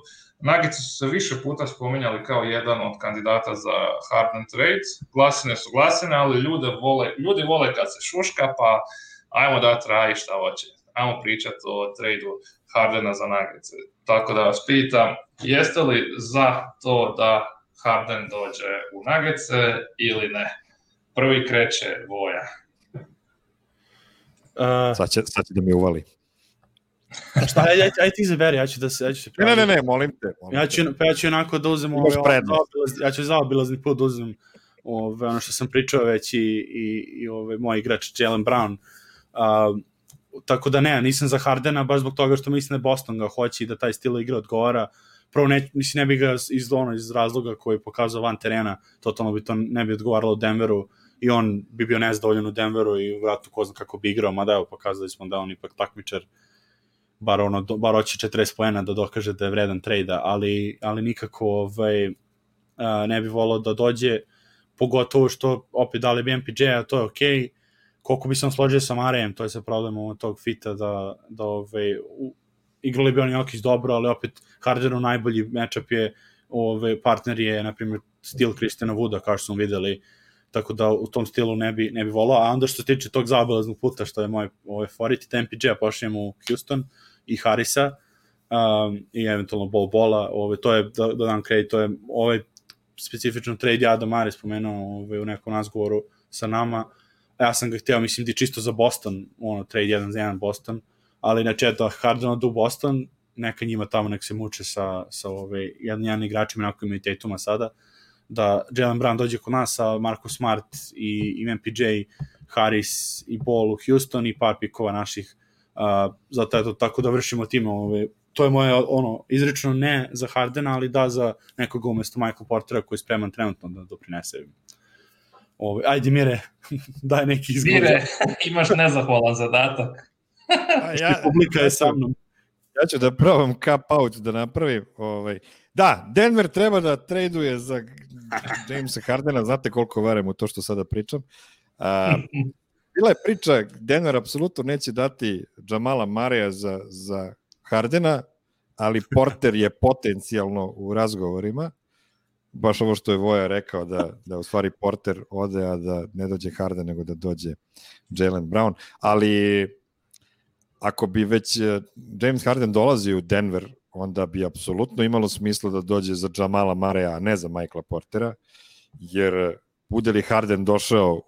Nuggets su se više puta spominjali kao jedan od kandidata za Harden trade, glasine su glasine, ali ljudi vole kad se šuška, pa ajmo dati raj šta hoće. Ajmo pričati o tradu Hardena za Nuggets. Tako da vas pitam, jeste li za to da Harden dođe u Nuggetse ili ne? Prvi kreće Voja. Sad će da mi uvali. Šta, aj ti izaberi, ja ću se praviti. Ne, molim te. Ja ću onako da uzem ja ću zaobilazni put da uzem ono što sam pričao već i moj igrač Jaylen Brown. Tako da nisam za Hardena, baš zbog toga što mislim da Boston ga hoće i da taj stil igre odgovara. Prvo, ne bi ga iz razloga koji je pokazao van terena, totalno bi to ne bi odgovaralo Denveru i on bi bio nezadovoljan u Denveru i vratno ko zna kako bi igrao, mada evo pokazali smo da on ipak takmičar, bar hoće 40 poena da dokaže da je vredan trejda, ali nikako ne bi volao da dođe, pogotovo što opet dali bi MPJ-a, to je okej. Koliko bi sam složio sa Marejem, to je sa problemom tog fita da igrali bi on Jokić dobro, ali opet Hardenu najbolji matchup je partner je, na primjer, stil Christiana Wooda, kao što smo videli, tako da u tom stilu ne bi volao, a onda što se tiče tog zaobilaznog puta, što je moj favorit, da MPJ-a pošlijem u Houston i Harrisa i eventualno Bola, to je, da dam kredit, to je specifično trade Adam Mare spomenuo u nekom razgovoru sa nama, ja sam ga hteo, mislim, di čisto za Boston, trade 1 za 1 Boston, ali inače da Harden odu u Boston, neka njima tamo nek se muče sa jedan igračima, onako imaju Tatuma sada, da Jaylen Brown dođe kod nas sa Marcus Smart i MPJ, Harris i Ball u Houston i par pikova naših, zato eto, tako da vršimo time, to je moje izrično ne za Hardena, ali da za nekoga umesto Michael Portera koji je spreman trenutno da doprinese. Ajde Mire, daj neki izgovor. Mire, imaš nezahvalan zadatak. Publika je sa mnom. Ja ću da probam cap out da napravim. Da, Denver treba da traduje za Jamesa Hardena, znate koliko verujem u to što sada pričam. Bila je priča, Denver apsolutno neće dati Jamala Mareja za Hardena, ali Porter je potencijalno u razgovorima. Baš ovo što je Voja rekao, da u stvari Porter ode, a da ne dođe Harden, nego da dođe Jaylen Brown. Ali ako bi već James Harden dolazi u Denver, onda bi apsolutno imalo smisla da dođe za Jamala Mareja, a ne za Michaela Portera, jer bude li Harden došao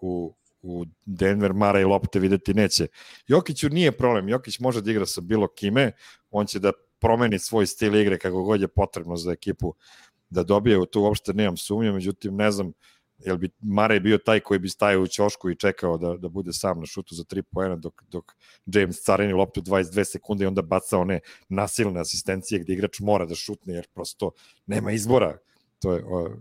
u Denver, Marej lopte videti neće. Jokiću nije problem, Jokić može da igra sa bilo kime, on će da promeni svoj stil igre kako god je potrebno za ekipu da dobije, u to uopšte nemam sumnje, međutim ne znam, jel bi Marej bio taj koji bi stajao u ćošku i čekao da bude sam na šutu za 3 poena dok James carini loptu 22 sekunde i onda baca one nasilne asistencije gde igrač mora da šutne jer prosto nema izbora.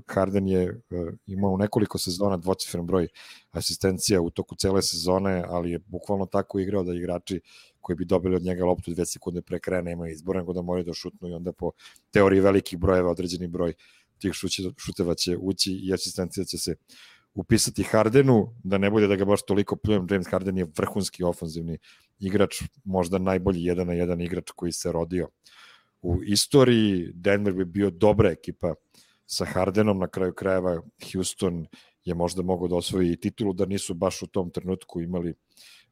Harden je imao u nekoliko sezona dvocifren broj asistencija u toku cele sezone, ali je bukvalno tako igrao da igrači koji bi dobili od njega loptu 2 sekunde pre kraja nemaju izbora, nego da moraju da šutnu i onda po teoriji velikih brojeva određeni broj tih šuteva će ući i asistencija će se upisati Hardenu, da ne bude da ga baš toliko pljujem. James Harden je vrhunski ofanzivni igrač, možda najbolji 1 na 1 igrač koji se rodio u istoriji. Denver bi bio dobra ekipa sa Hardenom, na kraju krajeva Houston je možda mogao da osvoji titulu, da nisu baš u tom trenutku imali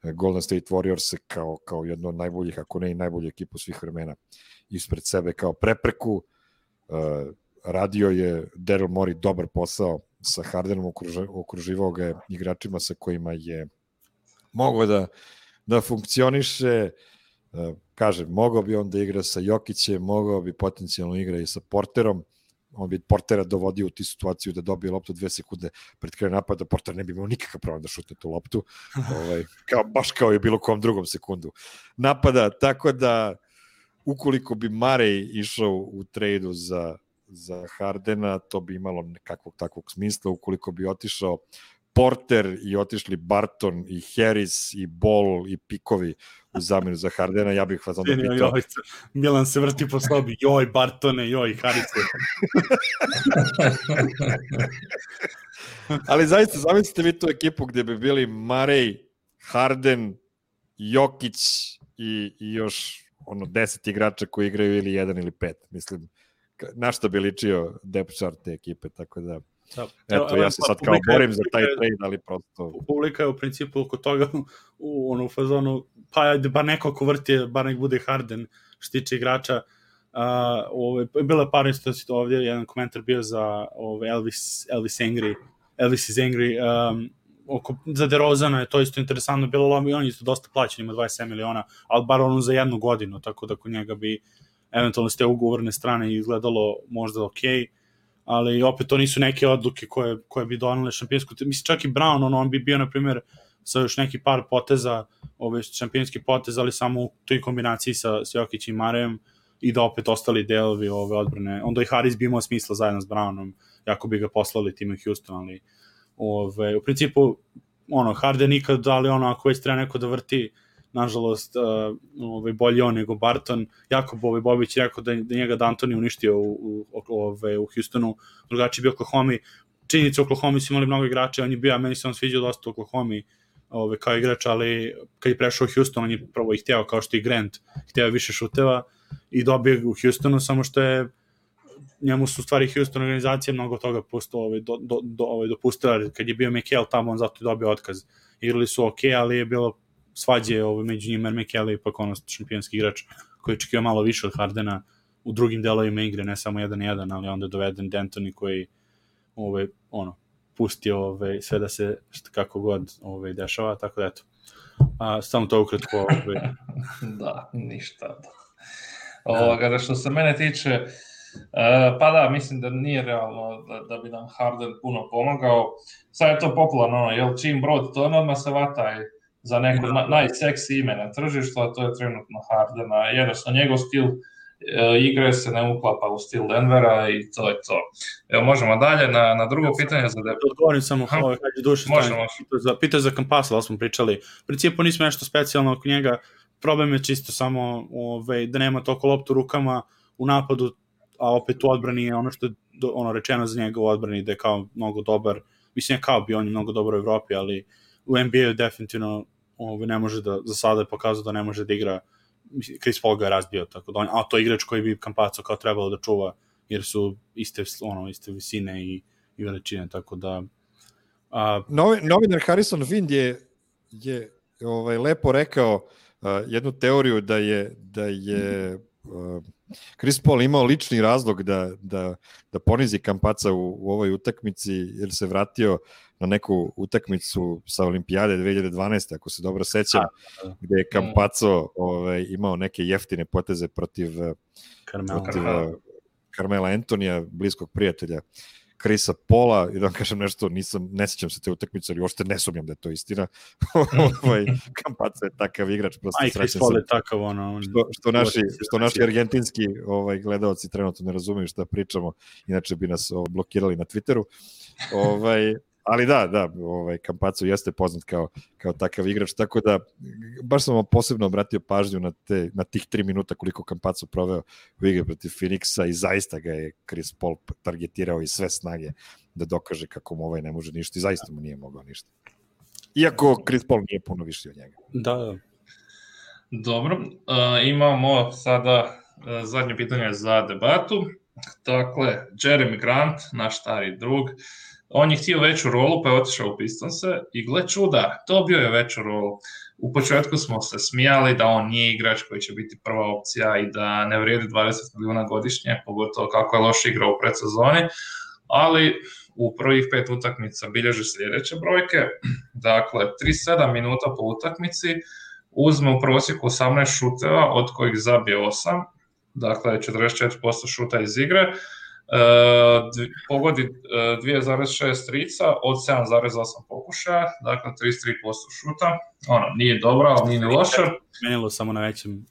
Golden State Warriors kao jedno od najboljih, ako ne i najbolju ekipu svih vremena ispred sebe kao prepreku. Radio je Daryl Morey dobar posao sa Hardenom, okruživao ga je igračima sa kojima je mogao da funkcioniše. Kažem, mogao bi on da igra sa Jokićem, mogao bi potencijalno igra i sa Porterom, on bi Portera dovodio u ti situaciju da dobije loptu 2 sekunde pred krajem napada, Porter ne bi imao nikakav problem da šutne tu loptu, baš kao i bilo kom drugom sekundu napada, tako da ukoliko bi Marej išao u trejdu za Hardena, to bi imalo nekakvog takvog smisla. Ukoliko bi otišao Porter i otišli Barton i Harris i Ball i pikovi u zamenu za Hardena, ja bih vas onda pitao. Milan se vrti po sobi, joj Bartone, joj Harrise. Ali zaista, zamislite vi tu ekipu gde bi bili Marej, Harden, Jokić i još 10 igrača koji igraju ili 1 ili 5. Mislim, na što bi ličio depth chart te ekipe, tako da eto, ja se sad kao borim za taj trade, ali prosto... Publika je u principu oko toga u fazonu, pa ajde, bar neko ko vrti, bar nek bude Harden, što tiče igrača. Bilo je par isto ovdje, jedan komentar bio za Elvis is Angry, za DeRozana je to isto interesantno bilo, ali on je isto dosta plaćen, ima 27 miliona, ali bar ono za 1 godinu, tako da kod njega bi eventualno s te ugovorne strane izgledalo možda okej, ali opet to nisu neke odluke koje bi donale šampionsku. Mislim, čak i Brown, on bi bio, na primjer, sa još neki par poteza, šampionski potez, ali samo u toj kombinaciji sa Jokić i Marejem, i da opet ostali delovi ove odbrane. Onda i Harris bi imao smisla zajedno s Brownom, jako bi ga poslali timu Houston, ali u principu, Harden nikad, ali ako već treba neko da vrti, nažalost, bolji on nego Barton. Jakob Bobić rekao da njega D'Antoni uništio u Houstonu, drugačiji bio Oklahoma. Činjenica u Oklahoma su imali mnogo igrača, on je bio, meni se on sviđao dosta u Oklahoma kao igrač, ali kad je prešao u Houston, on je prvo ih hteo, kao što i Grant hteo više šuteva i dobio u Houstonu, samo što je njemu su stvari Houston organizacije mnogo toga dopustila. Kad je bio Mikel tamo, on zato je dobio otkaz. Igrali su okej, ali je bilo svađe među njima, jer Mikel je ipak šampionski igrač koji je očekio malo više od Hardena u drugim delovima igre, ne samo 1-1, ali onda je doveden D'Antoni koji pustio sve da se kako god dešava, tako da eto. Samo to ukratko. Da, ništa. Da što se mene tiče, pa da, mislim da nije realno da bi nam Harden puno pomagao. Sad je to popularno, jel čim brod to odmah se vataj za neko najseksi ime na tržištu, a to je trenutno Hardena. Jednostavno, njegov stil igre se ne uklapa u stil Denvera i to je to. Evo, možemo dalje na drugo pitanje. Odgovorim samo, pitao za Campasa, ali smo pričali. U principu nismo nešto specijalno oko njega, problem je čisto samo da nema toliko loptu rukama u napadu, a opet u odbrani je ono što je rečeno za njega u odbrani, da je kao mnogo dobar, mislim je kao bi on je mnogo dobar u Evropi, ali u NBA definitivno ne može da, za sada je pokazao da ne može da igra. Chris Paul ga je razbio, tako da a to je igrač koji bi Campazzo kao trebalo da čuva, jer su iste visine i veličine, tako da novinar Harrison Wind je lepo rekao jednu teoriju da je Chris Paul imao lični razlog da ponizi Campazza u ovoj utakmici, jer se vratio na neku utakmicu sa Olimpijade 2012. ako se dobro sećam, gde je Campazzo imao neke jeftine poteze protiv Carmela Antonija, bliskog prijatelja Chrisa Paula, i da vam kažem nešto, ne sećam se te utakmice, ali uopšte ne sumnjam da je to istina. Campazzo je takav igrač, prosto srećan sam. Je takav, što naši argentinski gledalci trenutno ne razumiju šta pričamo, inače bi nas blokirali na Twitteru. Ali da, Campazzo jeste poznat kao takav igrač, tako da baš sam vam posebno obratio pažnju na tih 3 minuta koliko Campazzo proveo u igri protiv Phoenixa i zaista ga je Chris Paul targetirao i sve snage da dokaže kako mu ne može ništa i zaista mu nije mogao ništa. Iako Chris Paul nije puno viši od njega. Da. Dobro, imamo sada zadnje pitanje za debatu. Dakle, Jeremy Grant, naš stari drug, on je htio veću rolu, pa je otišao u Pistonse i gle čuda, dobio je veću rolu. U početku smo se smijali da on nije igrač koji će biti prva opcija i da ne vrijedi 20 milijuna godišnje, pogotovo kako je loš igrao u predsezoni, ali u prvih 5 utakmica bilježi sljedeće brojke. Dakle, 37 minuta po utakmici, uzme u prosjeku 18 šuteva, od kojih zabije 8, dakle 44% šuta iz igre, pogodi 2,6 trica od 7,8 pokušaja, dakle 33% šuta. Nije dobro, ali nije ni loše. Promenilo samo na većem.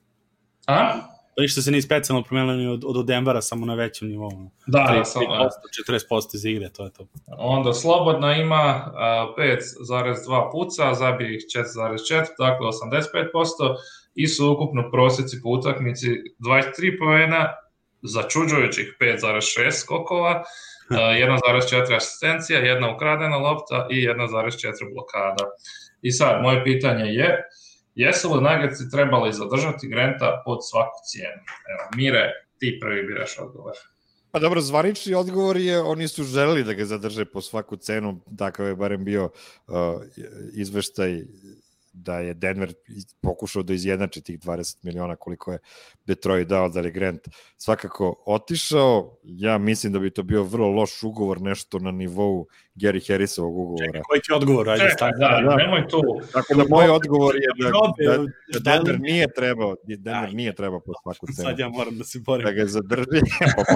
A? Ništa se nije specijalno promenilo od Denvera, samo na većem nivou. Da, 40% iz igre, to je to. Onda slobodna ima 5,2 puca, zabije ih 4,4, dakle 85%, i su ukupno prosjeci po utakmici 23 poena, začuđujućih 5,6 skokova, 1,4 asistencija, 1 ukradena lopta i 1,4 blokada. I sad, moje pitanje je, jesu li Nuggetsi trebali zadržati Granta pod svaku cijenu? Evo, Mire, ti prvi biraš odgovor. Pa dobro, zvanični odgovor je, oni su želeli da ga zadrže po svaku cenu, takav je barem bio izveštaj da je Denver pokušao da izjednači tih 20 miliona koliko je Detroit dao da je Grant svakako otišao. Ja mislim da bi to bio vrlo loš ugovor, nešto na nivou Gary Harrisovog ugovora. Čekaj, koji ti odgovor? Ajde, Čekaj, da, nemoj tu. Tako da moj odgovor je da Denver nije trebao po svaku cenu. Sad ja moram da se borim. Da ga zadrži. Pa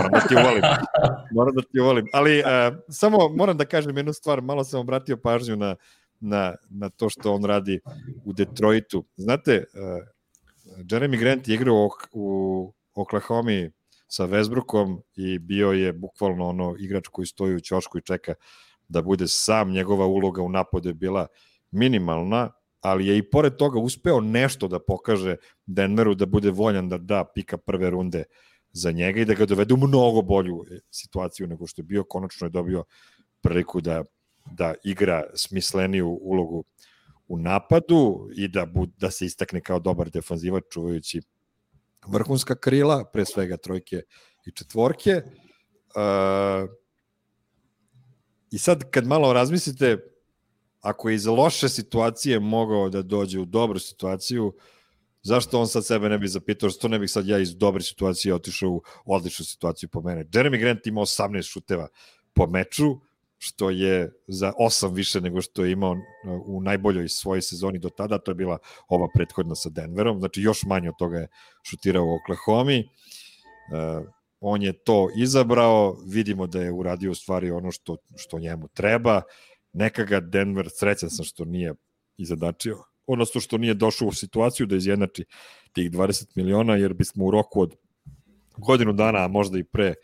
moram da ti uvolim. Ali samo moram da kažem jednu stvar, malo sam obratio pažnju na to što on radi u Detroitu. Znate, Jeremy Grant je igrao u Oklahoma sa Westbrookom i bio je bukvalno ono igrač koji stoji u ćošku i čeka da bude sam. Njegova uloga u napadu je bila minimalna, ali je i pored toga uspeo nešto da pokaže Denveru da bude voljan da da pika prve runde za njega i da ga dovede u mnogo bolju situaciju nego što je bio. Konačno je dobio priliku da igra smisleniju ulogu u napadu i da se istakne kao dobar defanzivač čuvajući vrhunska krila, pre svega trojke i četvorke. I sad kad malo razmislite, ako je iz loše situacije mogao da dođe u dobru situaciju, zašto on sad sebe ne bi zapitao, što ne bih sad ja iz dobre situacije otišao u odličnu situaciju po mene. Jeremy Grant ima 18 šuteva po meču, što je za 8 više nego što je imao u najboljoj svojoj sezoni do tada, to je bila ova prethodna sa Denverom, znači još manje od toga je šutirao u Oklahoma. On je to izabrao, vidimo da je uradio u stvari ono što njemu treba, neka ga Denver, srećan sam što nije izadačio, odnosno što nije došao u situaciju da izjednači tih 20 miliona, jer bismo u roku od godinu dana, a možda i pre,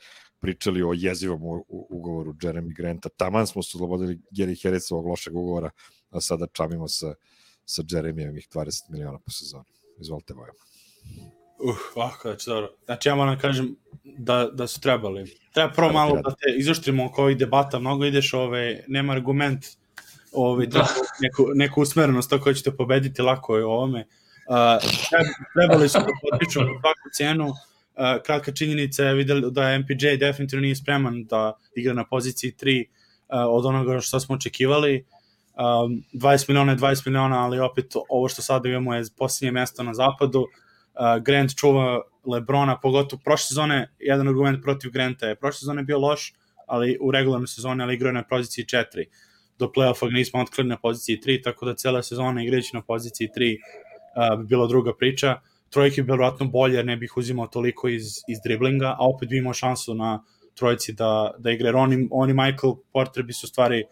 pričali o jezivom ugovoru Jeremy Granta. Taman smo se oslobodili Gary Harrisovog lošeg ugovora, a sada čamimo sa Jeremyjevih 20 miliona po sezoni. Izvolite, Vojo. Dobro. Znači, ja moram kažem da su trebali. Treba prvo malo da te izoštrimo oko ovih debata, mnogo ideš, nema argument, neku usmerenost, tako ćete pobediti lako je ovome. Trebali su da potiču po svaku cenu. Kratka činjenica je videli da MPJ definitivno nije spreman da igra na poziciji 3 od onoga što smo očekivali. 20 miliona je 20 miliona, ali opet ovo što sada imamo je posljednje mesto na zapadu. Grant čuva LeBrona, pogotovo prošle sezone, jedan argument protiv Granta je, prošle sezone je bio loš, ali u regularnoj sezoni, ali igrao je na poziciji 4. Do play-offa ga nismo otkrili na poziciji 3, tako da cela sezona igrajući na poziciji 3 bi bila druga priča. Trojke bi vjerojatno bolje, jer ne bih uzimao toliko iz driblinga, a opet bi imao šansu na trojici da igre. Oni Michael Porter bi su stvari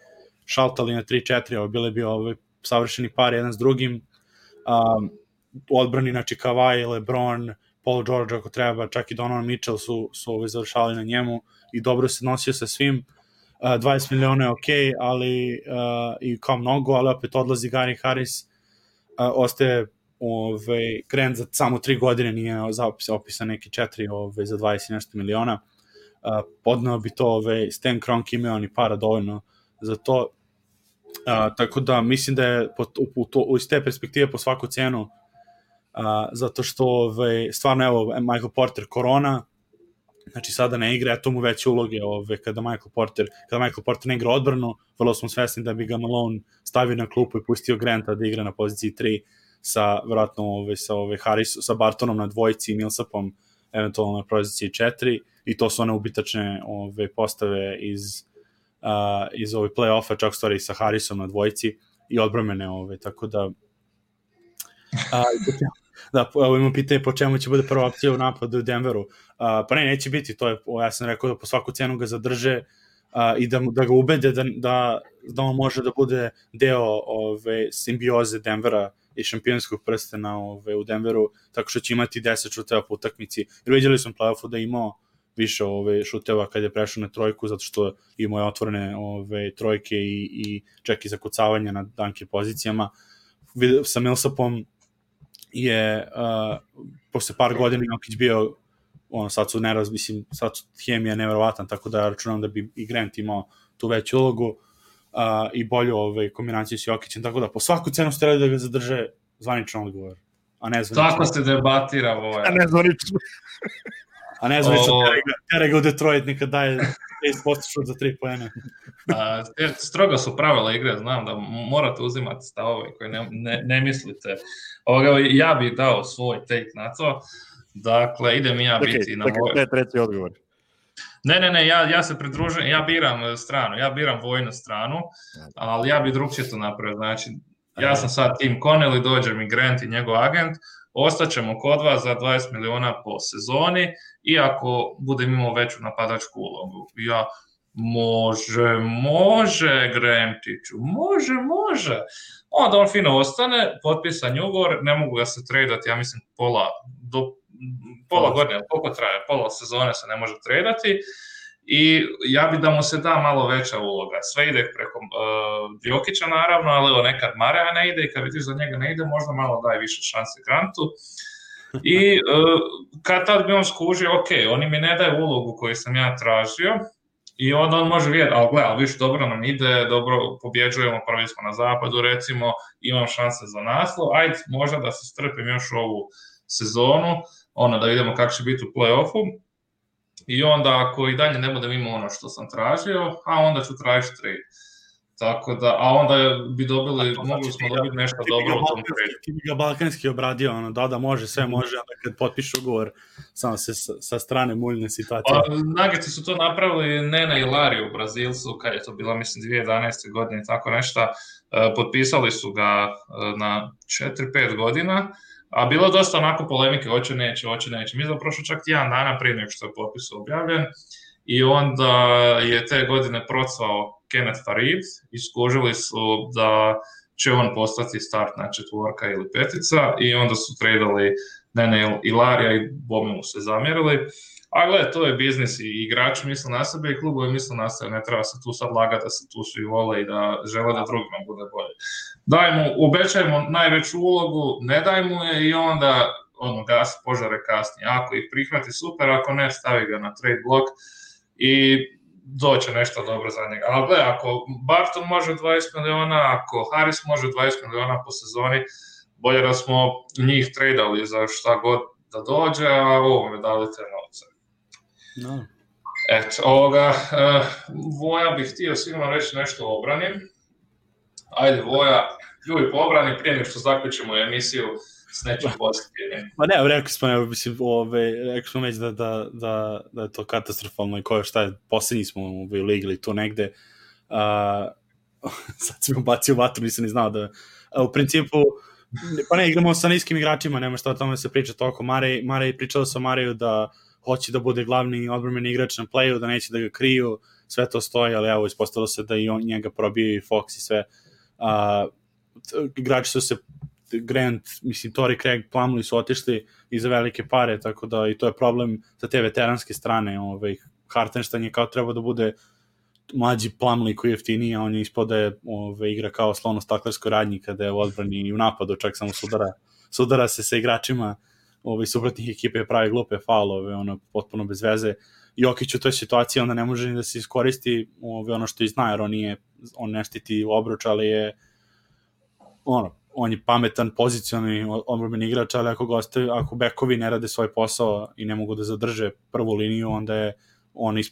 šaltali na 3-4, ovo bile bi savršeni par jedan s drugim. U odbrani, znači Kawhi, LeBron, Paul George ako treba, čak i Donovan Mitchell su završali na njemu i dobro se nosio sa svim. 20 miliona je okej, ali i kao mnogo, ali opet odlazi Gary Harris, ostaje Grant za samo 3 godine, nije opisan neki 4 za 20 nešto miliona. Podneo bi to Stan Kroenke, imao ni para dovoljno za to. Tako da mislim da je iz te perspektive po svaku cenu, zato što stvarno evo Michael Porter korona, znači sada ne igra, eto mu veće uloge kada Michael Porter ne igra odbranu, vrlo smo svesni da bi ga Malone stavio na klupu i pustio Granta da igra na poziciji 3 sa vjerojatno sa Bartonom na dvojici i Millsapom eventualno na poziciji 4 i to su one ubitačne postave iz play-offa, čak stvari sa Harrisom na dvojici i odbromene, tako da evo imam pitanje po čemu će bude prva opcija u napadu u Denveru. Pa neće biti, to je, ja sam rekao da po svaku cenu ga zadrže i da ga ubede da on može da bude deo simbioze Denvera i šampionskog prstena u Denveru, tako što će imati 10 šuteva po utakmici. Jer vidjeli smo play-offu da je imao više šuteva kad je prešao na trojku, zato što imao je otvorene trojke i čak i zakucavanje na danke pozicijama. Sa Millsapom je posle par godina Jokić bio sad su hemija neverovatan, tako da računam da bi i Grant imao tu veću ulogu i bolju kombinaciju s Jokićem, tako da po svaku cenu ste da ga zadrže, zvaničan odgovor, a ne zvanično. Tako se debatira ovo. A ne zvanično. A ne zvanično, tere ga u Detroit, neka daje 10% šut za 3 poena. Strogo su pravila igre, znam da morate uzimati stavove koje ne mislite. Ja bih dao svoj take na to. Dakle, idem ja biti na vojnu. To je treći odgovor. Ne, ja se pridružujem, ja biram stranu, ja biram vojnu stranu, ali ja bih drugčije to napravio. Znači, ja sam sad Tim Connelly, dođe mi Grant i njegov agent, ostaćemo kod vas za 20 miliona po sezoni i ako budem imao veću napadačku ulogu. Ja, može Grantiću, može. Onda on fino ostane, potpisan ugovor, ne mogu ga se tradati, ja mislim pola godine, koliko traje, pola sezone se ne može tradati i ja bi da mu se da malo veća uloga. Sve ide preko Jokića naravno, ali nekad Marea ne ide i kad vidiš da njega ne ide, možda malo daje više šanse Grantu. I kad tad bi on skužio, ok, oni mi ne daju ulogu koju sam ja tražio, i onda on može vidjeti, ali više dobro nam ide, dobro pobjeđujemo, prvi smo na zapadu recimo, imam šanse za naslov, ajde možda da se strpim još ovu sezonu, da vidimo kako će biti u play-offu, i onda ako i dalje ne budem imao ono što sam tražio, a onda ću tražiti trade. Tako da, a onda bi mogli smo dobiti nešto dobro u tom trade. Ti bi ga balkanski obradio, da može, sve može, onda kad potpišu ugovor, samo se sa strane muljne situacije. Nuggets su to napravili Nena i Larry u Brazilcu, kad je to bila, mislim, 2011. godine i tako nešto, potpisali su ga na 4-5 godina, a bilo je dosta onako polemike, hoće, neće. Mi smo prošlo čak jedan dana prije nego što je potpis objavljen, i onda je te godine procvao Kenneth Farid i skužili su da će on postati startna četvorka ili petica, i onda su tradali Nene i Larija i bome mu se zamjerili. A gledaj, to je biznis i igrači misle na sebe i klubovi misle na sebe, ne treba se tu sad lagati da se tu svi vole i da žele da drugima bude bolje. Obećajmo najveću ulogu, ne daj mu je i onda gasi požare kasnije. Ako ih prihvati, super, ako ne, stavi ga na trade block i doće nešto dobro za njega. Ali gledaj, ako Barton može 20 miliona, ako Harris može 20 miliona po sezoni, bolje da smo njih tradali za šta god da dođe, a ovome dali te novce. No. Eto, Voja bih htio sigurno reći nešto o obrani. Ajde, Voja, ljubi po obrani prije nego što zaključimo emisiju s nečim pozitivnim. Ma ne, rekli smo već da je to katastrofalno i šta je, posljednji smo u ligi ili tu negde. Sad si mi bacio vatru, nisam ni znao da... U principu, pa ne, igramo sa niskim igračima, nema šta o tome se priča toliko. Marej pričao sa Mareju da hoće da bude glavni odbrambeni igrač na playu, da neće da ga kriju, sve to stoji, ali evo, ispostavilo se da i on njega probio i Fox i sve. Igrači su se Grant, mislim, Torrey Craig, Plumlee su otišli iza velike pare, tako da i to je problem sa te veteranske strane. Hartenstein je kao treba da bude mlađi Plumlee koji je jeftiniji, a on je ispod da je igra kao slono staklarskoj radnji kada je u odbrani i u napadu, čak samo sudara se sa igračima suprotnih ekipe, pravi glupe faulove, potpuno bez veze. Jokić u toj situaciji onda ne može ni da se iskoristi ono što i zna, jer on ne štiti obruč, ali je on je pametan, pozicioni odbrambeni igrač, ali ako bekovi ne rade svoj posao i ne mogu da zadrže prvu liniju, onda je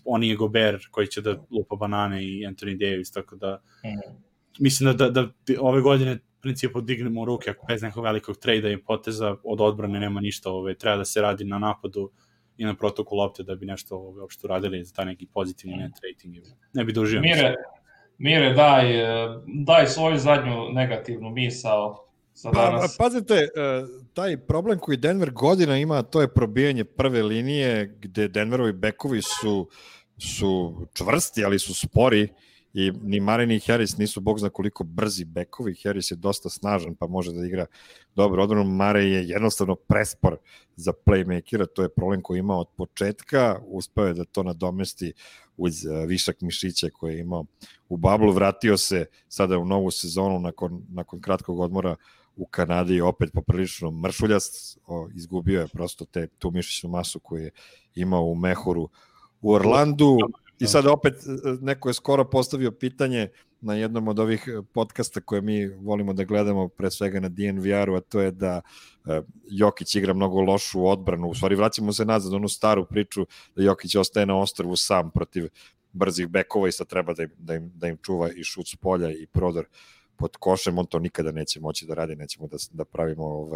on je Gobert koji će da lupa banane i Anthony Davis, tako da mislim da ove godine principu dignemo ruke, ako bez nekog velikog trejda i poteza od odbrane nema ništa, treba da se radi na napadu i na protoku lopte da bi nešto uopšte uradili za taj neki pozitivni net rating. Ne bi doživio. Mire, daj svoju zadnju negativnu misao za danas. Pazite, taj problem koji Denver godina ima, to je probijanje prve linije, gde Denverovi bekovi su čvrsti, ali su spori, i ni Murray ni Harris nisu bog zna koliko brzi bekovi. Harris je dosta snažan pa može da igra dobro odbranu. Murray je jednostavno prespor za playmakera, to je problem koji je imao od početka, uspeo je da to nadomesti uz višak mišića koji je imao u bablu, vratio se sada u novu sezonu nakon kratkog odmora u Kanadi i opet poprilično mršuljast, izgubio je prosto tu mišićnu masu koju je imao u mehuru u Orlandu. I sad opet neko je skoro postavio pitanje na jednom od ovih podcasta koje mi volimo da gledamo, pre svega na DNVR-u, a to je da Jokić igra mnogo lošu odbranu. U stvari vraćamo se nazad onu staru priču da Jokić ostaje na ostrvu sam protiv brzih bekova i sad treba da im čuva i šut s polja i prodor pod košem, on to nikada neće moći da radi, nećemo da pravimo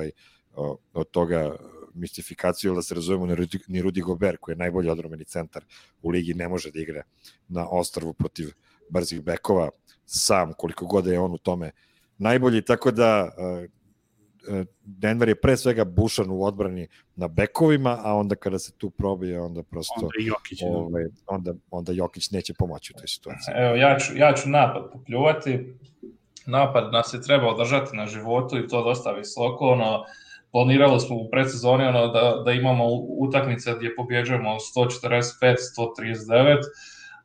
od toga mistifikaciju, ili da se razumemo, ni Rudy Gobert, koji je najbolji odbrambeni centar u ligi, ne može da igra na ostrvu protiv brzih bekova sam, koliko god je on u tome najbolji, tako da Denver je pre svega bušan u odbrani na bekovima, a onda kada se tu probije, onda prosto onda Jokić neće pomoći u toj situaciji. Evo, ja ću napad popljuvati. Napad nas je trebao držati na životu i to dosta visoko. Planirali smo u predsezoni da imamo utakmice gdje pobjeđujemo 145-139,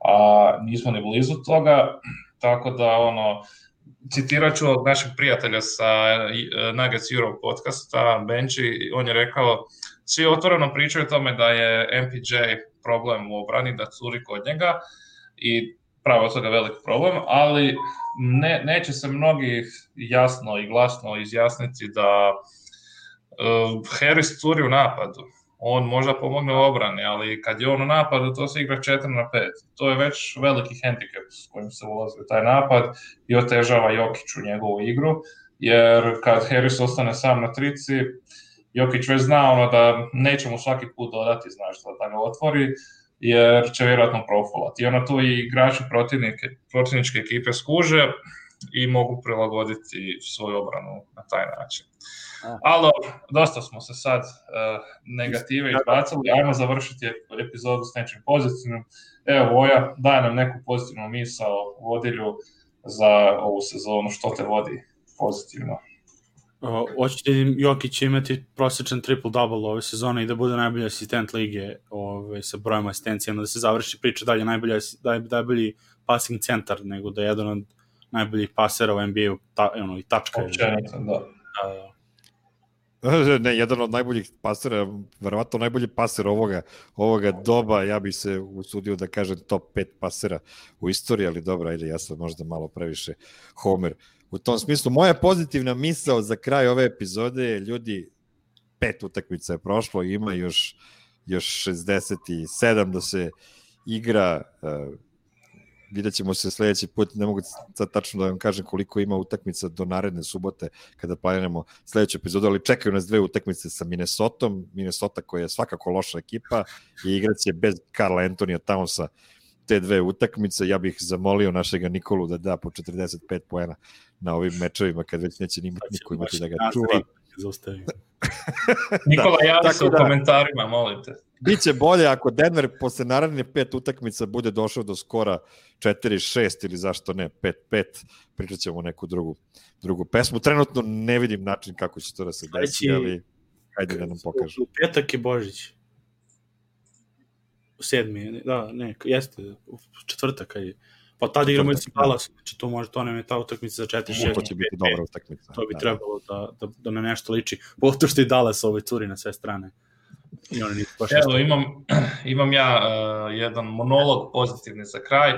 a nismo ni blizu toga. Tako da, citirat ću našeg prijatelja sa Nuggets Europe podcasta, Benji, on je rekao, svi otvoreno pričaju o tome da je MPJ problem u obrani, da curi kod njega i pravo od toga veliki problem, ali neće se mnogi jasno i glasno izjasniti da Harris curi u napadu. On možda pomogne u obrani, ali kad je on u napadu, to se igra 4-5. To je već veliki hendikep s kojim se ulazi u taj napad i otežava Jokiću njegovu igru, jer kad Harris ostane sam na trici, Jokić već zna da neće mu svaki put dodati, znaš, da ga otvori, jer će vjerojatno profulati. I tu i igrači protivničke ekipe skuže i mogu prilagoditi svoju obranu na taj način. Ali dosta smo se sad negative izbacili, ajmo završiti epizodu s nečim pozitivnim. Evo, Voja, daj nam neku pozitivnu misao vodilju za ovu sezonu, što te vodi pozitivno. Hoćete Jokić imati prosječan triple-double ove sezone i da bude najbolji asistent lige sa brojem asistencijama, da se završi priča dalje najbolji passing centar, nego da je jedan od najboljih pasera u NBA-u i tačka. Ne, jedan od najboljih pasera, verovatno najbolji paser ovoga doba, ja bih se usudio da kažem top 5 pasera u istoriji, ali dobro, ajde, ja sam možda malo previše homer. U tom smislu, moja pozitivna misao za kraj ove epizode je, ljudi, 5 utakmica je prošlo, ima još 67 da se igra, vidjet ćemo se sledeći put, ne mogu sad tačno da vam kažem koliko ima utakmica do naredne subote kada planiramo sledeću epizodu, ali čekaju nas 2 utakmice sa Minnesotom, Minnesota koja je svakako loša ekipa i igraće bez Karla Antonija Townsa te 2 utakmice. Ja bih zamolio našega Nikolu da da po 45 poena na ovim mečevima, kad već neće niko imati da ga čuva. Nikola, javi se u komentarima, molim te. Biće bolje ako Denver posle naredne 5 utakmica bude došao do skora 4-6 ili zašto ne 5-5, pričat ćemo neku drugu pesmu. Trenutno ne vidim način kako će to da se desi, ali hajde da nam pokažu. U petak je Božić. U 7. Da, ne, jeste, u četvrtak je. Pa tada igramo i sa Dallasom, znači to nam je ta utakmica za 4-6. To će biti dobra utakmica. To bi trebalo da na nešto liči. Pogotovo što i Dallas curi na sve strane. Evo, imam ja jedan monolog pozitivni za kraj.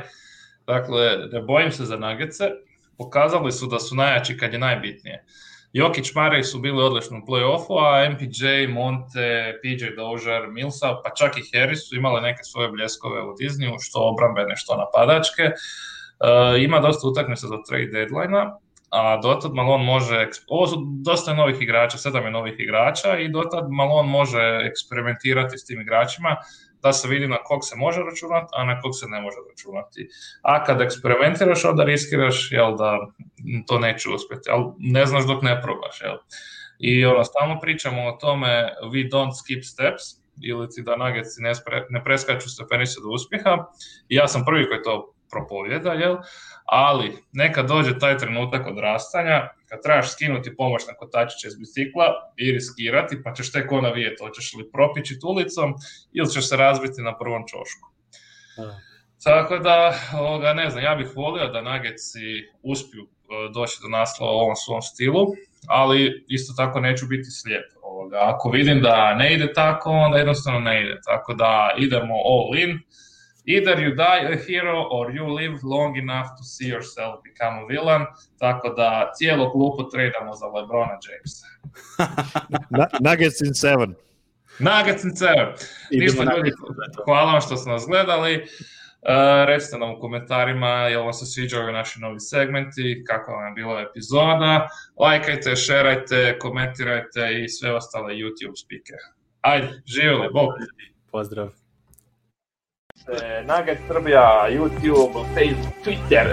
Dakle, ne bojim se za Nuggetse. Pokazali su da su najjači kad je najbitnije. Jokić, Murray su bili odlični u play-offu, a MPJ, Monte, PJ Dozier, Millsap, pa čak i Harris su imali neke svoje bljeskove u Disneyu, što obrambene, što napadačke. Ima dosta utakmica do trade deadline-a, a dotad Malone može, ovo su dosta novih igrača, 7 je novih igrača i dotad Malone može eksperimentirati s tim igračima da se vidi na kog se može računati, a na kog se ne može računati. A kad eksperimentiraš, onda riskiraš da to neće uspjeti, ali ne znaš dok ne probaš. I stalno pričamo o tome we don't skip steps, ili da Nuggetsi ne preskaču stepenice do uspjeha. I ja sam prvi koji to propovjeda, ali neka dođe taj trenutak odrastanja kad trebaš skinuti pomoćne kotačiće iz bicikla i riskirati, pa ćeš tek vidjeti hoćeš li propičiti ulicom ili ćeš se razbiti na prvom čošku. Tako da, ne znam, ja bih volio da Nuggetsi uspiju doći do naslova u ovom svom stilu, ali isto tako neću biti slijep. Ako vidim da ne ide tako, onda jednostavno ne ide. Tako da idemo all in. Either you die a hero or you live long enough to see yourself become a villain. Tako da cijelo klupu tradamo za LeBrona Jamesa. Nuggets in 7. Nuggets in 7. Ništa ljudi, hvala vam što ste nas gledali. Recite nam u komentarima jel vam se sviđaju naši novi segmenti, kako vam je bila epizoda. Lajkajte, šerajte, komentirajte i sve ostale YouTube spike. Ajde, živjeli, bok! Pozdrav! Nugget Srbija, YouTube, Facebook, Twitter,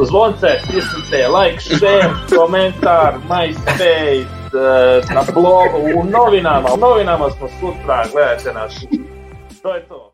zvonce, stisnite, like, share, komentar, MySpace, na blogu, u novinama smo sutra, gledajte nas. To je to.